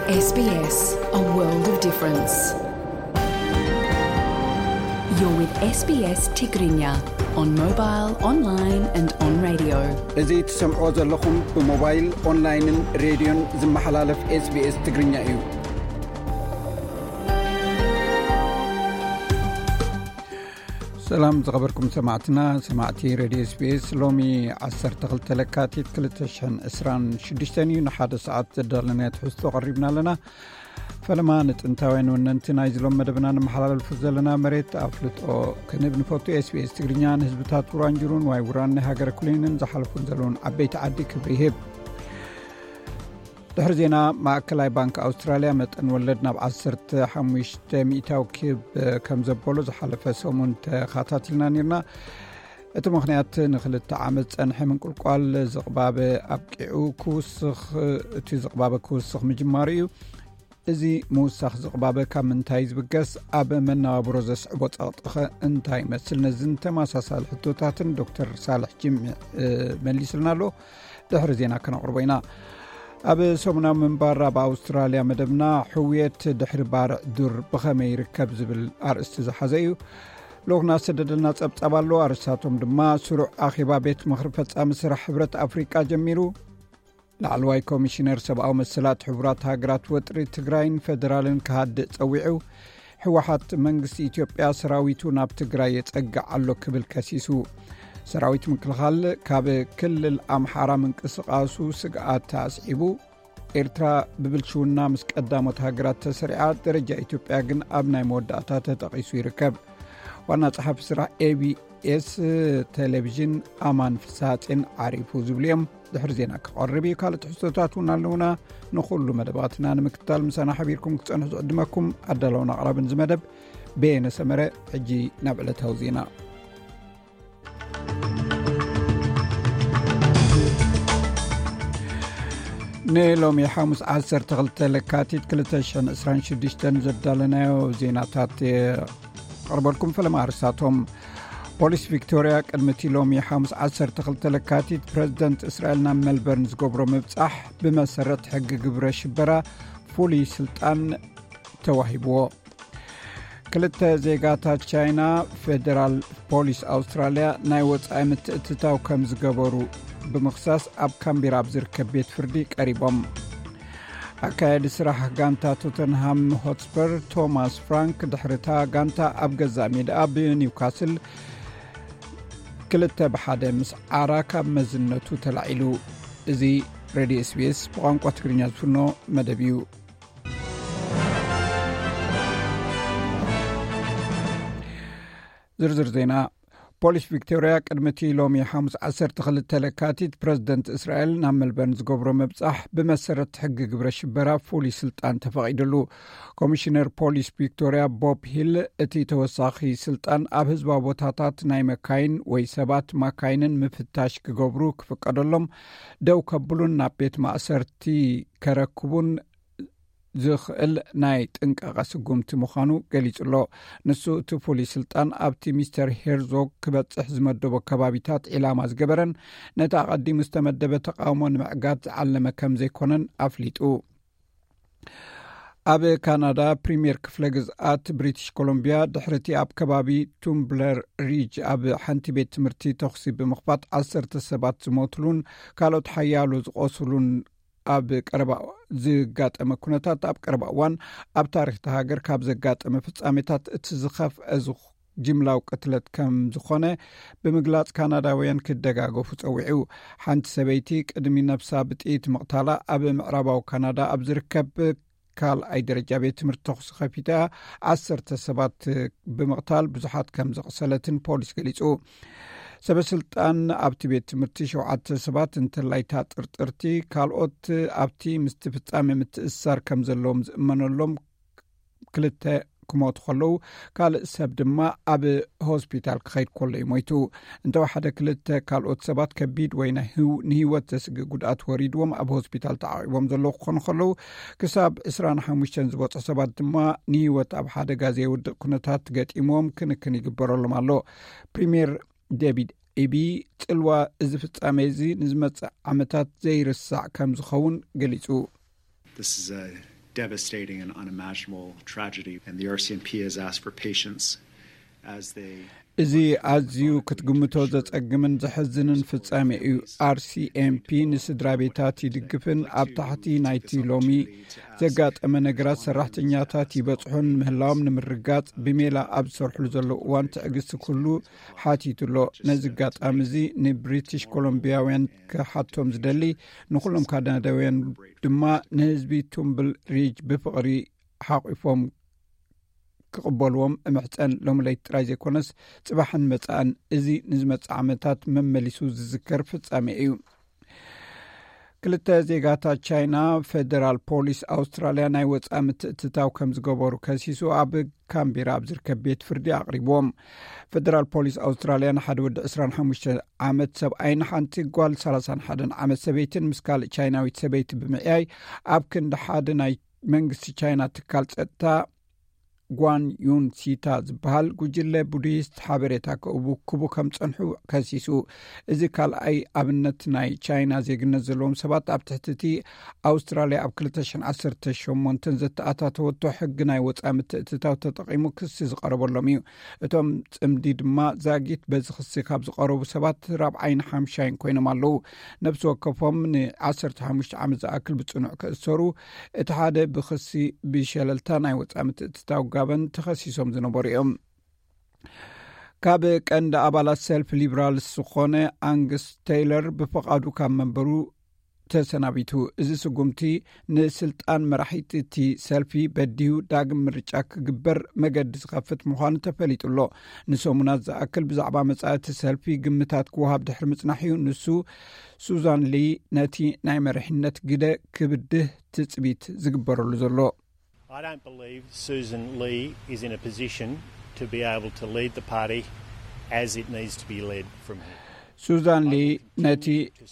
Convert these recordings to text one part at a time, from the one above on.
S B S, a world of difference. You're with S B S Tigrinya on mobile, online and on radio. እዚ ትሰምዕዎ ዘለኹም ብሞባይል፣ ኦንላይንን ሬድዮን ዝመሓላለፍ SBS ትግርኛ እዩ። ሰላም ዝኸበርኩም ሰማዕትና፣ ሰማዕቲ ሬድዮ SBS። ሎሚ ዓሰርተ ክልተ ለካቲት ክልተ ሽሕን ዕስራን ሽዱሽተን እዩ። ንሓደ ሰዓት ዘዳለናዮ ትሕዝቶ ቀሪብና ኣለና። ፈለማ ንጥንታውያን ወነንቲ ናይዚ ሎም መደብና ንመሓላለፉ ዘለና መሬት ኣፍልጦ ክንህብ ንፈቱ። SBS ትግርኛ ንህዝብታት ውራንጅሩን ዋይ ውራን ናይ ሃገረ ኩሊንን ዝሓለፉን ዘለውን ዓበይቲ ዓዲ ክብሪ ይህብ። ድሕሪ ዜና፣ ማእከላይ ባንክ ኣውስትራልያ መጠን ወለድ ናብ ዓሰርተ ሓሙሽተ ሚእታዊ ክብ ከም ዘበሎ ዝሓለፈ ሰሙን ተኸታቲልና ነርና። እቲ ምኽንያት ንኽልተ ዓመት ጸንሐ ምንቁልቋል ዝቕባበ ኣብቂዑ ክውስኽ፣ እቲ ዝቕባበ ክውስኽ ምጅማሩ እዩ። እዚ ምውሳኽ ዝቕባበ ካብ ምንታይ ዝብገስ፣ ኣብ መነባብሮ ዘስዕቦ ጸቕጥኸ እንታይ ይመስል? ነዝን ተመሳሳሊ ሕቶታትን ዶክተር ሳልሕ ጅምዕ፣ እ፣ መሊስልና ኣሎ። ድሕሪ ዜና ከነቕርቦ ኢና። ኣብ ሰሙናዊ ምንባር ኣብ ኣውስትራልያ መደብና፣ ሕውየት ድሕሪ ባርዕ ዱር ብኸመይ ይርከብ ዝብል ኣርእስቲ ዝሓዘ እዩ። ልኡኽና ዝሰደደልና ጸብጻብ ኣሎ። ኣርእስታቶም ድማ፣ ስሩዕ ኣኼባ ቤት ምኽሪ ፈጻሚ ስራሕ ሕብረት ኣፍሪቃ ጀሚሩ፣ ላዕለዋይ ኮሚሽነር ሰብኣዊ መሰላት ሕቡራት ሃገራት ወጥሪ ትግራይን ፈደራልን ክሃድእ ጸዊዑ፣ ህወሓት መንግስቲ ኢትዮጵያ ሰራዊቱ ናብ ትግራይ የጸግዕ ኣሎ ክብል ከሲሱ፣ ሰራዊት ምክልኻል ካብ ክልል ኣምሓራ ምንቅስቓሱ ስግኣት ኣስዒቡ፣ ኤርትራ ብብልሽውና ምስ ቀዳሞት ሃገራት ተሰሪዓ፣ ደረጃ ኢትዮጵያ ግን ኣብ ናይ መወዳእታ ተጠቒሱ ይርከብ። ዋና ጸሓፊ ስራሕ ኤቢኤስ ቴሌቪዥን ኣማን ፍስሃጼን ዓሪፉ ዝብሉ እዮም። ድሕሪ ዜና ክቐርብ እዩ። ካልእ ትሕዝቶታት እውን ኣለውና። ንኹሉ መደባትና ንምክትታል ምሳና ሓቢርኩም ክትጸንሑ ዝዕድመኩም ኣዳለውን ኣቕራብን እዚ መደብ በየነ ሰመረ። ሕጂ ናብ ዕለታዊ ዜና። ንሎሚ ሓሙስ ዓሰርተ ክልተ ለካቲት ክልተ ሽሕን ዕስራን ሽዱሽተን ዘዳለናዮ ዜናታት የቕርበልኩም። ፈለማ ኣርእስታቶም። ፖሊስ ቪክቶርያ ቅድሚ እቲ ሎሚ ሓሙስ ዓሰርተ ክልተ ለካቲት ፕረዚደንት እስራኤል ናብ ሜልበርን ዝገብሮ ምብጻሕ ብመሰረት ሕጊ ግብረ ሽበራ ፍሉይ ስልጣን ተዋሂብዎ። ክልተ ዜጋታት ቻይና ፌደራል ፖሊስ ኣውስትራልያ ናይ ወጻኢ ምትእትታው ከም ዝገበሩ ብምኽሳስ ኣብ ካምቤራ ኣብ ዝርከብ ቤት ፍርዲ ቀሪቦም። ኣካያዲ ስራሕ ጋንታ ቶተንሃም ሆትስፐር ቶማስ ፍራንክ ድሕሪታ ጋንታ ኣብ ገዛእ ሜዳኣ ብኒውካስል ክልተ ብሓደ ምስ ዓራ ካብ መዝነቱ ተላዒሉ። እዚ ሬድዮ SBS ብቋንቋ ትግርኛ ዝፍኖ መደብ እዩ። ዝርዝር ዜና። ፖሊስ ቪክቶርያ ቅድሚ እቲ ሎሚ ሓሙስ ዓሰርተ ክልተ ለካቲት ፕረዚደንት እስራኤል ናብ ሜልበርን ዝገብሮ ምብጻሕ ብመሰረት ሕጊ ግብረ ሽበራ ፍሉይ ስልጣን ተፈቒድሉ። ኮሚሽነር ፖሊስ ቪክቶርያ ቦብ ሂል፣ እቲ ተወሳኺ ስልጣን ኣብ ህዝባዊ ቦታታት ናይ መካይን ወይ ሰባት ማካይንን ምፍታሽ ክገብሩ ክፍቀደሎም፣ ደው ከብሉን ናብ ቤት ማእሰርቲ ከረክቡን ዝኽእል ናይ ጥንቃቐ ስጉምቲ ምዃኑ ገሊጹ ኣሎ። ንሱ እቲ ፍሉይ ስልጣን ኣብቲ ሚስተር ሄርዞግ ክበጽሕ ዝመደቦ ከባቢታት ዒላማ ዝገበረን ነቲ ኣቐዲሙ ዝተመደበ ተቓውሞ ንምዕጋት ዝዓለመ ከም ዘይኮነን ኣፍሊጡ። ኣብ ካናዳ ፕሪምየር ክፍለ ግዝኣት ብሪቲሽ ኮሎምቢያ ድሕሪ እቲ ኣብ ከባቢ ቱምብለር ሪጅ ኣብ ሓንቲ ቤት ትምህርቲ ተኹሲ ብምኽፋት ዓሰርተ ሰባት ዝሞትሉን ካልኦት ሓያሎ ዝቖስሉን ኣብ ቀረባ ዝጋጠመ ኩነታት፣ ኣብ ቀረባ እዋን ኣብ ታሪኽ እታ ሃገር ካብ ዘጋጠመ ፍጻሜታት እቲ ዝኸፍአ ዝኽ-፣ ጅምላዊ ቅትለት ከም ዝኾነ ብምግላጽ፣ ካናዳውያን ክደጋገፉ ጸዊዑ። ሓንቲ ሰበይቲ ቅድሚ ነብሳ ብጥይት ምቕታላ፣ ኣብ ምዕራባዊ ካናዳ ኣብ ዝርከብ ካልኣይ ደረጃ ቤት ትምህርቲ ተኹሲ ከፊታ፣ ዓሰርተ ሰባት ብምቕታል ብዙሓት ከም ዘቕሰለትን ፖሊስ ገሊጹ። ሰበ ስልጣን ኣብቲ ቤት ትምህርቲ ሸውዓተ ሰባት እንተላይ እታ ጥርጥርቲ፣ ካልኦት ኣብቲ ምስቲ ፍጻሜ ምትእስሳር ከም ዘለዎም ዝእመነሎም ክልተ ክሞቱ ከለዉ፣ ካልእ ሰብ ድማ ኣብ ሆስፒታል ክኸይድ ከሎ እዩ ሞይቱ። እንተወሓደ ክልተ ካልኦት ሰባት ከቢድ ወይ ናይ ህው-፣ ንህይወት ዘስግእ ጉድኣት ወሪድዎም ኣብ ሆስፒታል ተዓቒቦም ዘለዉ ክኾኑ ከለዉ፣ ክሳብ ዕስራን ሓሙሽተን ዝበጽሑ ሰባት ድማ ንህይወት ኣብ ሓደጋ ዘየውድቕ ኩነታት ገጢምዎም ክንክን ይግበረሎም ኣሎ። ፕሪምየር ዴቪድ ኢቢ፣ ጽልዋ እዚ ፍጻሜ እዚ ንዝመጽእ ዓመታት ዘይርሳዕ ከም ዝኸውን ገሊጹ። This is a devastating and unimaginable tragedy, and the R C M P has asked for patience as they እዚ ኣዝዩ ክትግምቶ ዘጸግምን ዘሕዝንን ፍጻሜ እዩ። ኣርሲኤምፒ ንስድራ ቤታት ይድግፍን ኣብ ታሕቲ ናይቲ ሎሚ ዘጋጠመ ነገራት ሰራሕተኛታት ይበጽሑን ምህላዎም ንምርጋጽ ብሜላ ኣብ ዝሰርሕሉ ዘለዉ እዋን ትዕግስቲ ኩሉ ሓቲቱ ኣሎ። ነዚ ኣጋጣሚ እዚ ንብሪቲሽ ኮሎምቢያውያን ክሓቶም ዝደሊ፣ ንኹሎም ካናዳውያን ድማ ንህዝቢ ቱምብል ሪጅ ብፍቕሪ ሓቒፎም ክቕበልዎም እምሕጸን። ሎሚ ለይቲ ጥራይ ዘይኮነስ ጽባሕን መጻእን፣ እዚ ንዝመጽእ ዓመታት መመሊሱ ዝዝከር ፍጻሜ እዩ። ክልተ ዜጋታት ቻይና ፌደራል ፖሊስ ኣውስትራልያ ናይ ወጻኢ ምትእትታው ከም ዝገበሩ ከሲሱ ኣብ ካምቤራ ኣብ ዝርከብ ቤት ፍርዲ ኣቕሪብዎም። ፌደራል ፖሊስ ኣውስትራልያ ንሓደ ወዲ ዕስራን ሓሙሽተ ዓመት ሰብኣይን ሓንቲ ጓል ሰላሳን ሓደን ዓመት ሰበይትን ምስ ካልእ ቻይናዊት ሰበይቲ ብምዕያይ ኣብ ክንዲ ሓደ ናይ መንግስቲ ቻይና ትካል ጸጥታ ጓን ዩን ሲታ ዝበሃል ጉጅለ ቡዲስት ሓበሬታ ክእቡ ክቡ ከም ጸንሑ ከሲሱ። እዚ ካልኣይ ኣብነት ናይ ቻይና ዜግነት ዘለዎም ሰባት ኣብ ትሕቲ እቲ ኣውስትራልያ ኣብ ክልተ ሽሕን ዓሰርተ ሸሞንተን ዘተኣታተወቶ ሕጊ ናይ ወጻኢ ምትእትታው ተጠቒሙ ክሲ ዝቐረበሎም እዩ። እቶም ጽምዲ ድማ ዛጊት በዚ ክሲ ካብ ዝቐረቡ ሰባት ራብዓይን ሓምሻይን ኮይኖም ኣለዉ። ነብሲ ወከፎም ን ዓሰርተ ሓሙሽተ ዓመት ዝኣክል ብጽኑዕ ክእሰሩ፣ እቲ ሓደ ብክሲ ብሸለልታ ናይ ወጻኢ ምትእትታው ጋበን ተኸሲሶም ዝነበሩ እዮም። ካብ ቀንዲ ኣባላት ሰልፊ ሊበራልስ ዝኾነ ኣንግስ ቴይለር ብፍቓዱ ካብ መንበሩ ተሰናቢቱ። እዚ ስጉምቲ ንስልጣን መራሒቲ እቲ ሰልፊ በዲሁ ዳግም ምርጫ ክግበር መገዲ ዝኸፍት ምዃኑ ተፈሊጡ ኣሎ። ንሰሙናት ዝኣክል ብዛዕባ መጻኢ እቲ ሰልፊ ግምታት ክወሃብ ድሕሪ ምጽናሕ እዩ ንሱ ሱዛን ሊ ነቲ ናይ መሪሕነት ግደ ክብድህ ትጽቢት ዝግበረሉ ዘሎ። I don't believe Susan Lee is in a position to be able to lead the party as it needs to be led from here. ሱዛን ሊ ነቲ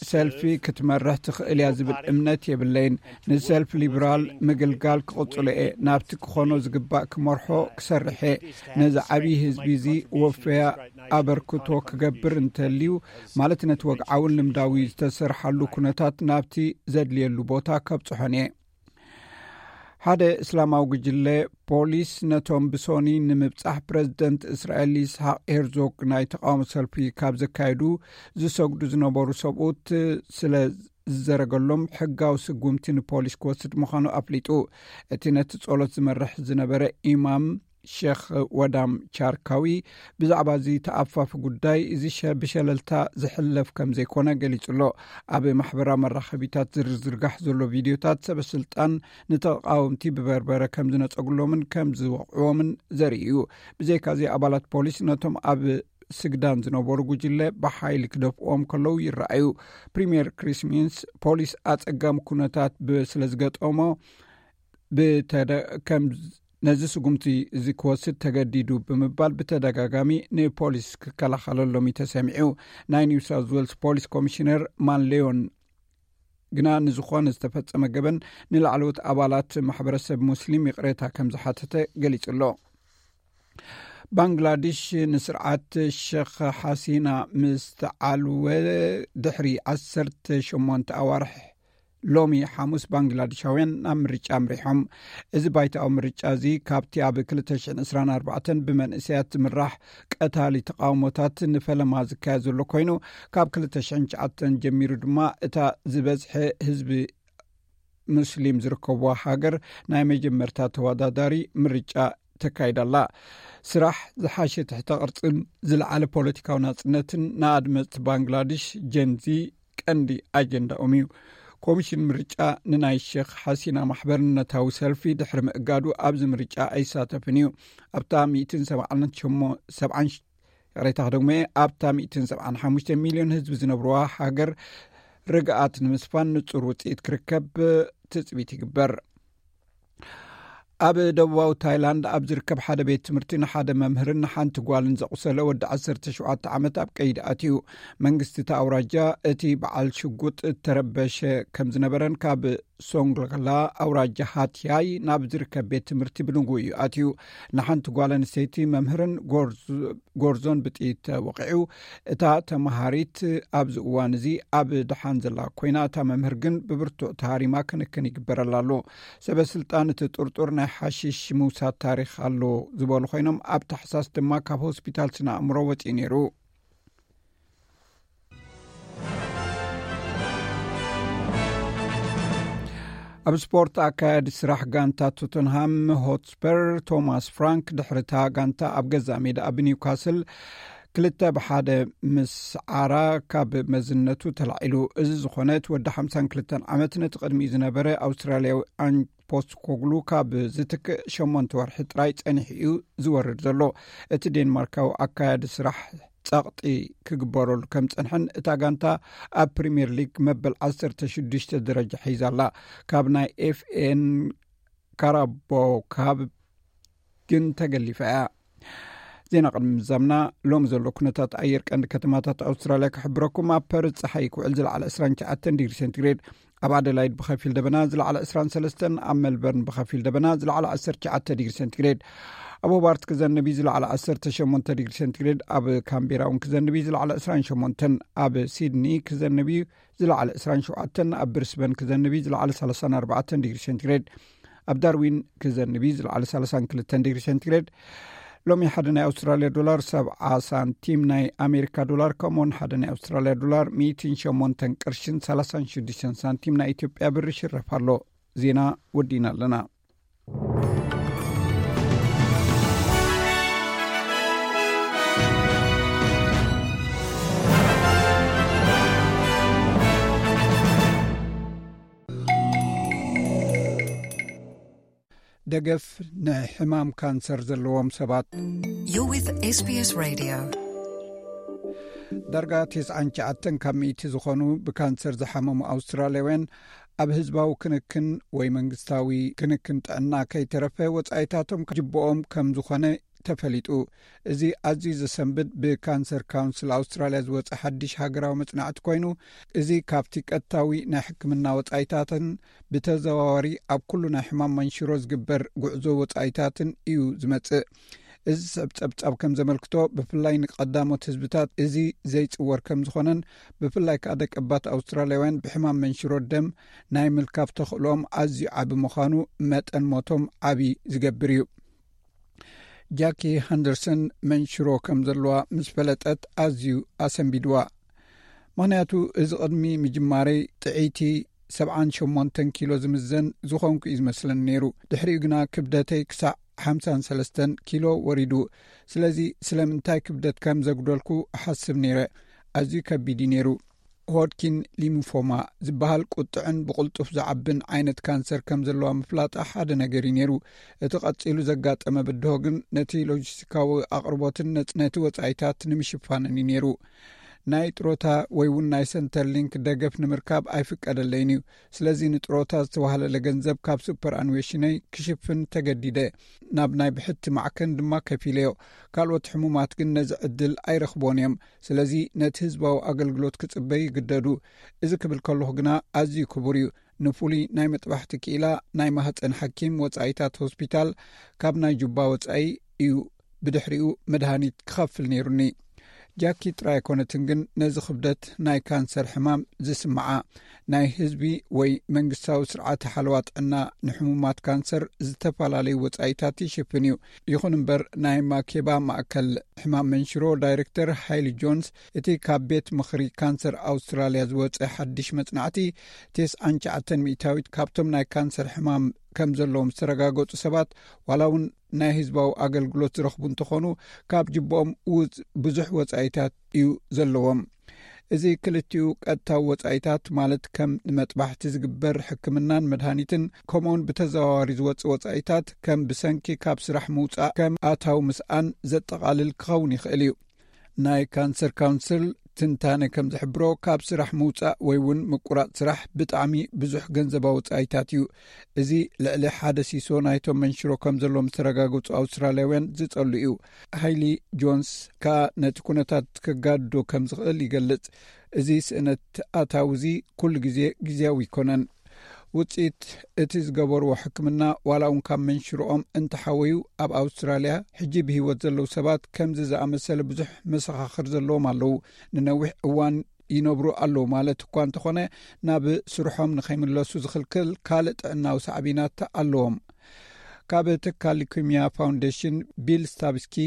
ሰልፊ ክትመርሕ ትኽእል እያ ዝብል እምነት የብለይን። ንሰልፊ ሊበራል ምግልጋል ክቕጽሎ እየ። ናብቲ ክኾኖ ዝግባእ ክመርሖ ክሰርሕ እየ። ነዚ ዓብዪ ህዝቢ እዚ ወፈያ ኣበርክቶ ክገብር እንተልዩ፣ ማለት ነቲ ወግዓውን ልምዳዊ ዝተሰርሓሉ ኩነታት ናብቲ ዘድልየሉ ቦታ ከብጽሖን እየ። ሓደ እስላማዊ ጉጅለ ፖሊስ ነቶም ብሶኒ ንምብጻሕ ፕረዚደንት እስራኤል ይስሓቅ ሄርዞግ ናይ ተቃውሞ ሰልፊ ካብ ዘካየዱ ዝሰግዱ ዝነበሩ ሰብኡት ስለ ዝዘረገሎም ሕጋዊ ስጉምቲ ንፖሊስ ክወስድ ምዃኑ ኣፍሊጡ። እቲ ነቲ ጸሎት ዝመርሕ ዝነበረ ኢማም ሸኽ ወዳም ቻርካዊ ብዛዕባ እዚ ተኣፋፊ ጉዳይ እዚ ብሸለልታ ዝሕለፍ ከም ዘይኮነ ገሊጹ ኣሎ። ኣብ ማሕበራዊ መራኸቢታት ዝርዝርጋሕ ዘሎ ቪድዮታት ሰበ ስልጣን ንተቓወምቲ ብበርበረ ከም ዝነጸግሎምን ከም ዝወቕዕዎምን ዘርኢ እዩ። ብዘይካዚ ኣባላት ፖሊስ ነቶም ኣብ ስግዳን ዝነበሩ ጉጅለ ብሓይሊ ክደፍእዎም ከለዉ ይረኣዩ። ፕሪምየር ክሪስ ሚንስ ፖሊስ ኣጸጋሚ ኩነታት ስለ ዝገጠሞ ብተደ ከም ነዚ ስጉምቲ እዚ ክወስድ ተገዲዱ ብምባል ብተደጋጋሚ ንፖሊስ ክከላኸለሎም እዩ ተሰሚዑ። ናይ ኒው ሳውዝ ዌልስ ፖሊስ ኮሚሽነር ማን ሌዮን ግና ንዝኾነ ዝተፈጸመ ገበን ንላዕለዎት ኣባላት ማሕበረሰብ ሙስሊም ይቕሬታ ከም ዝሓተተ ገሊጹ ኣሎ። ባንግላዴሽ ንስርዓት ሸኽ ሓሲና ምስ ተዓልወ ድሕሪ ዓሰርተ ሸሞንተ ኣዋርሕ ሎሚ ሓሙስ ባንግላዴሻውያን ናብ ምርጫ ኣምሪሖም። እዚ ባይታዊ ምርጫ እዚ ካብቲ ኣብ ክልተ ሽሕን ዕስራን ኣርባዕተን ብመንእሰያት ዝምራሕ ቀታሊ ተቃውሞታት ንፈለማ ዝካየድ ዘሎ ኮይኑ፣ ካብ ክልተ ሽሕን ትሽዓተን ጀሚሩ ድማ እታ ዝበዝሐ ህዝቢ ሙስሊም ዝርከብዋ ሃገር ናይ መጀመርታ ተወዳዳሪ ምርጫ ተካይዳ ኣላ። ስራሕ፣ ዝሓሸ ትሕተ ቅርጽን ዝለዓለ ፖለቲካዊ ናጽነትን ንኣድመጽቲ ባንግላዴሽ ጀንዚ ቀንዲ ኣጀንዳኦም እዩ። ኮሚሽን ምርጫ ንናይ ሸኽ ሓሲና ማሕበርነታዊ ሰልፊ ድሕሪ ምእጋዱ ኣብዚ ምርጫ ኣይሳተፍን እዩ። ኣብታ ሚእትን ሰብዓን ሸሞ-፣ ሰብዓን ሽ-፣ ይቕሬታ ክደግሞ እየ፣ ኣብታ ሚእትን ሰብዓን ሓሙሽተ ሚልዮን ህዝቢ ዝነብርዋ ሃገር ርግኣት ንምስፋን ንጹር ውጽኢት ክርከብ ትጽቢት ይግበር። ኣብ ደቡባዊ ታይላንድ ኣብ ዝርከብ ሓደ ቤት ትምህርቲ ንሓደ መምህርን ንሓንቲ ጓልን ዘቑሰለ ወዲ ዓሰርተ ሸውዓተ ዓመት ኣብ ቀይዲ ኣትዩ። መንግስቲ እቲ ኣውራጃ እቲ በዓል ሽጉጥ እተረበሸ ከም ዝነበረን ካብ ሶንግላ ኣውራጃ ሃትያይ ናብ ዝርከብ ቤት ትምህርቲ ብንግኡ እዩ ኣትዩ። ንሓንቲ ጓል ኣንስተይቲ መምህርን ጎርዝ-፣ ጎርዞን ብጥይት ተወቂዑ። እታ ተመሃሪት ኣብዚ እዋን እዚ ኣብ ደሓን ዘላ ኮይና፣ እታ መምህር ግን ብብርቱዕ ተሃሪማ ክንክን ይግበረላ ኣሎ። ሰበ ስልጣን እቲ ጥርጡር ናይ ሓሽሽ ምውሳድ ታሪኽ ኣሎ ዝበሉ ኮይኖም፣ ኣብ ታሕሳስ ድማ ካብ ሆስፒታል ስነ ኣእምሮ ወፂኡ ነይሩ። ኣብ ስፖርት፣ ኣካያዲ ስራሕ ጋንታ ቶተንሃም ሆትስፐር ቶማስ ፍራንክ ድሕሪ እታ ጋንታ ኣብ ገዛእ ሜዳ ኣብ ኒውካስል ክልተ ብሓደ ምስ ዓራ ካብ መዝነቱ ተላዒሉ። እዚ ዝኾነ እቲ ወዲ ሓምሳን ክልተን ዓመት ነቲ ቅድሚኡ ዝነበረ ኣውስትራልያዊ ኣን ፖስት ኮግሉ ካብ ዝትክእ ሸሞንተ ወርሒ ጥራይ ጸኒሑ እዩ ዝወርድ ዘሎ። እቲ ዴንማርካዊ ኣካያዲ ስራሕ ጸቕጢ ክግበረሉ ከም ጸንሐን እታ ጋንታ ኣብ ፕሪምየር ሊግ መበል ዓሰርተ ሽዱሽተ ደረጃ ሒዛ ኣላ። ካብ ናይ ኤፍኤን ካራቦ ካብ ግን ተገሊፋ እያ። ዜና ቅድሚ ምዛምና፣ ሎሚ ዘሎ ኩነታት ኣየር ቀንዲ ከተማታት ኣውስትራልያ ክሕብረኩም። ኣብ ፐርዝ ጸሓይ ክውዕል ዝለዓለ ዕስራን ትሽዓተን ዲግሪ ሴንቲግሬድ፣ ኣብ ኣደላይድ ብኸፊል ደበና ዝለዓለ ዕስራን ሰለስተን፣ ኣብ ሜልበርን ብኸፊል ደበና ዝለዓለ ዓሰርተ ትሽዓተ ዲግሪ ሴንቲግሬድ፣ ኣብ ሆባርት ክዘንብ እዩ ዝለዓለ ዓሰርተ ሸሞንተ ዲግሪ ሴንቲግሬድ፣ ኣብ ካምቤራ እውን ክዘንብ እዩ ዝለዓለ ዕስራን ሸሞንተን፣ ኣብ ሲድኒ ክዘንብ እዩ ዝለዓለ ዕስራን ሸውዓተን፣ ኣብ ብሪስበን ክዘንብ እዩ ዝለዓለ ሰላሳን ኣርባዕተን ዲግሪ ሴንቲግሬድ፣ ኣብ ዳርዊን ክዘንብ እዩ ዝለዓለ ሰላሳን ክልተን ዲግሪ ሴንቲግሬድ። ሎሚ ሓደ ናይ ኣውስትራልያ ዶላር ሰብዓ ሳንቲም፣ ናይ ኣሜሪካ ዶላር ከምኡውን ሓደ ናይ ኣውስትራልያ ዶላር ሚእትን ሸሞንተን ቅርሽን ሰላሳን ሽዱሽተን ሳንቲም ናይ ኢትዮጵያ ብር ይሽረፍ ኣሎ። ዜና ወዲእና ኣለና። ደገፍ ንሕማም ካንሰር ዘለዎም ሰባት። You're with SBS Radio. ዳርጋ ተስዓን ትሽዓተን ካብ ሚእቲ ዝኾኑ ብካንሰር ዝሓመሙ ኣውስትራልያውያን ኣብ ህዝባዊ ክንክን ወይ መንግስታዊ ክንክን ጥዕና ከይተረፈ ወጻኢታቶም ጅብኦም ከም ዝኾነ ተፈሊጡ። እዚ ኣዝዩ ዘሰንብድ ብካንሰር ካውንስል ኣውስትራልያ ዝወጸ ሓድሽ ሃገራዊ መጽናዕቲ ኮይኑ፣ እዚ ካብቲ ቀጥታዊ ናይ ሕክምና ወጻኢታትን ብተዘዋዋሪ ኣብ ኩሉ ናይ ሕማም መንሽሮ ዝግበር ጉዕዞ ወጻኢታትን እዩ ዝመጽእ። እዚ ስዕብ ጸብጻብ ከም ዘመልክቶ፣ ብፍላይ ንቀዳሞት ህዝብታት እዚ ዘይጽወር ከም ዝኾነን፣ ብፍላይ ከኣ ደቀባት ኣውስትራልያውያን ብሕማም መንሽሮ ደም ናይ ምልካፍ ተኽእሎም ኣዝዩ ዓቢ ምዃኑ፣ መጠን ሞቶም ዓቢ ዝገብር እዩ። ጃኪ ሃንደርሰን መንሽሮ ከም ዘለዋ ምስ ፈለጠት ኣዝዩ ኣሰንቢድዋ። ምኽንያቱ፣ እዚ ቅድሚ ምጅማረይ ጥዕይቲ ሰብዓን ሸሞንተን ኪሎ ዝምዘን ዝኾንኩ እዩ ዝመስለኒ ነይሩ። ድሕሪኡ ግና ክብደተይ ክሳዕ ሓምሳን ሰለስተን ኪሎ ወሪዱ። ስለዚ ስለምንታይ ክብደት ከም ዘጉደልኩ እሓስብ ነይረ። ኣዝዩ ከቢድ እዩ ነይሩ። ሆድኪን ሊምፎማ ዝበሃል ቁጥዕን ብቕልጡፍ ዝዓብን ዓይነት ካንሰር ከም ዘለዋ ምፍላጣ ሓደ ነገር እዩ ነይሩ። እቲ ቀጺሉ ዘጋጠመ ብድሆ ግን ነቲ ሎጂስቲካዊ ኣቕርቦትን ነጽ-፣ ነቲ ወጻኢታት ንምሽፋንን እዩ ነይሩ። ናይ ጥሮታ ወይ እውን ናይ ሰንተርሊንክ ደገፍ ንምርካብ ኣይፍቀደለይን እዩ። ስለዚ ንጥሮታ ዝተዋህለለ ገንዘብ ካብ ሱፐር ኣንዌሽነይ ክሽፍን ተገዲደ። ናብ ናይ ብሕቲ ማዕከን ድማ ከፊለዮ። ካልኦት ሕሙማት ግን ነዚ ዕድል ኣይረኽቦን እዮም። ስለዚ ነቲ ህዝባዊ ኣገልግሎት ክጽበዩ ይግደዱ። እዚ ክብል ከለኹ ግና ኣዝዩ ክቡር እዩ። ንፍሉይ ናይ መጥባሕቲ ክኢላ፣ ናይ ማህጸን ሓኪም፣ ወጻኢታት ሆስፒታል፣ ካብ ናይ ጁባ ወጻኢ እዩ ብድሕሪኡ መድሃኒት ክኸፍል ነይሩኒ። ጃኪ ጥራይ ኣይኮነትን ግን ነዚ ክብደት ናይ ካንሰር ሕማም ዝስምዓ። ናይ ህዝቢ ወይ መንግስታዊ ስርዓተ ሓለዋ ጥዕና ንሕሙማት ካንሰር ዝተፈላለዩ ወጻኢታት ይሽፍን እዩ። ይኹን እምበር ናይ ማኬባ ማእከል ሕማም መንሽሮ ዳይሬክተር ሃይሊ ጆንስ፣ እቲ ካብ ቤት ምኽሪ ካንሰር ኣውስትራልያ ዝወጸ ሓድሽ መጽናዕቲ፣ ተስዓን ትሽዓተን ሚእታዊት ካብቶም ናይ ካንሰር ሕማም ከም ዘለዎም ዝተረጋገጹ ሰባት ዋላ እውን ናይ ህዝባዊ ኣገልግሎት ዝረኽቡ እንተኾኑ፣ ካብ ጅብኦም ውጽ-፣ ብዙሕ ወጻኢታት እዩ ዘለዎም። እዚ ክልቲኡ ቀጥታዊ ወጻኢታት፣ ማለት ከም ንመጥባሕቲ ዝግበር ሕክምናን መድሃኒትን፣ ከምኡውን ብተዘዋዋሪ ዝወጽእ ወጻኢታት ከም ብሰንኪ ካብ ስራሕ ምውጻእ ከም ኣታዊ ምስኣን ዘጠቓልል ክኸውን ይኽእል እዩ። ናይ ካንሰር ካውንስል ትንታነ ከም ዝሕብሮ፣ ካብ ስራሕ ምውጻእ ወይ እውን ምቁራጽ ስራሕ ብጣዕሚ ብዙሕ ገንዘባዊ ወጻኢታት እዩ። እዚ ልዕሊ ሓደ ሲሶ ናይቶም መንሽሮ ከም ዘለዎም ዝተረጋገጹ ኣውስትራልያውያን ዝጸሉ እዩ። ሃይሊ ጆንስ ከኣ ነቲ ኩነታት ከጋድዶ ከም ዝኽእል ይገልጽ። እዚ ስእነት ኣታዊ እዚ ኩሉ ግዜ ግዜያዊ ኣይኮነን። ውጽኢት እቲ ዝገበርዎ ሕክምና ዋላ እውን ካብ መንሽሮኦም እንተሓወዩ፣ ኣብ ኣውስትራልያ ሕጂ ብህይወት ዘለዉ ሰባት ከምዚ ዝኣመሰለ ብዙሕ መሰኻኽር ዘለዎም ኣለዉ። ንነዊሕ እዋን ይነብሩ ኣለዉ ማለት እኳ እንተኾነ፣ ናብ ስርሖም ንኸይምለሱ ዝኽልክል ካልእ ጥዕናዊ ሳዕቤናት ኣለዎም። ካብ ትካል ሊኩሚያ ፋውንዴሽን ቢል ስታብስኪ፣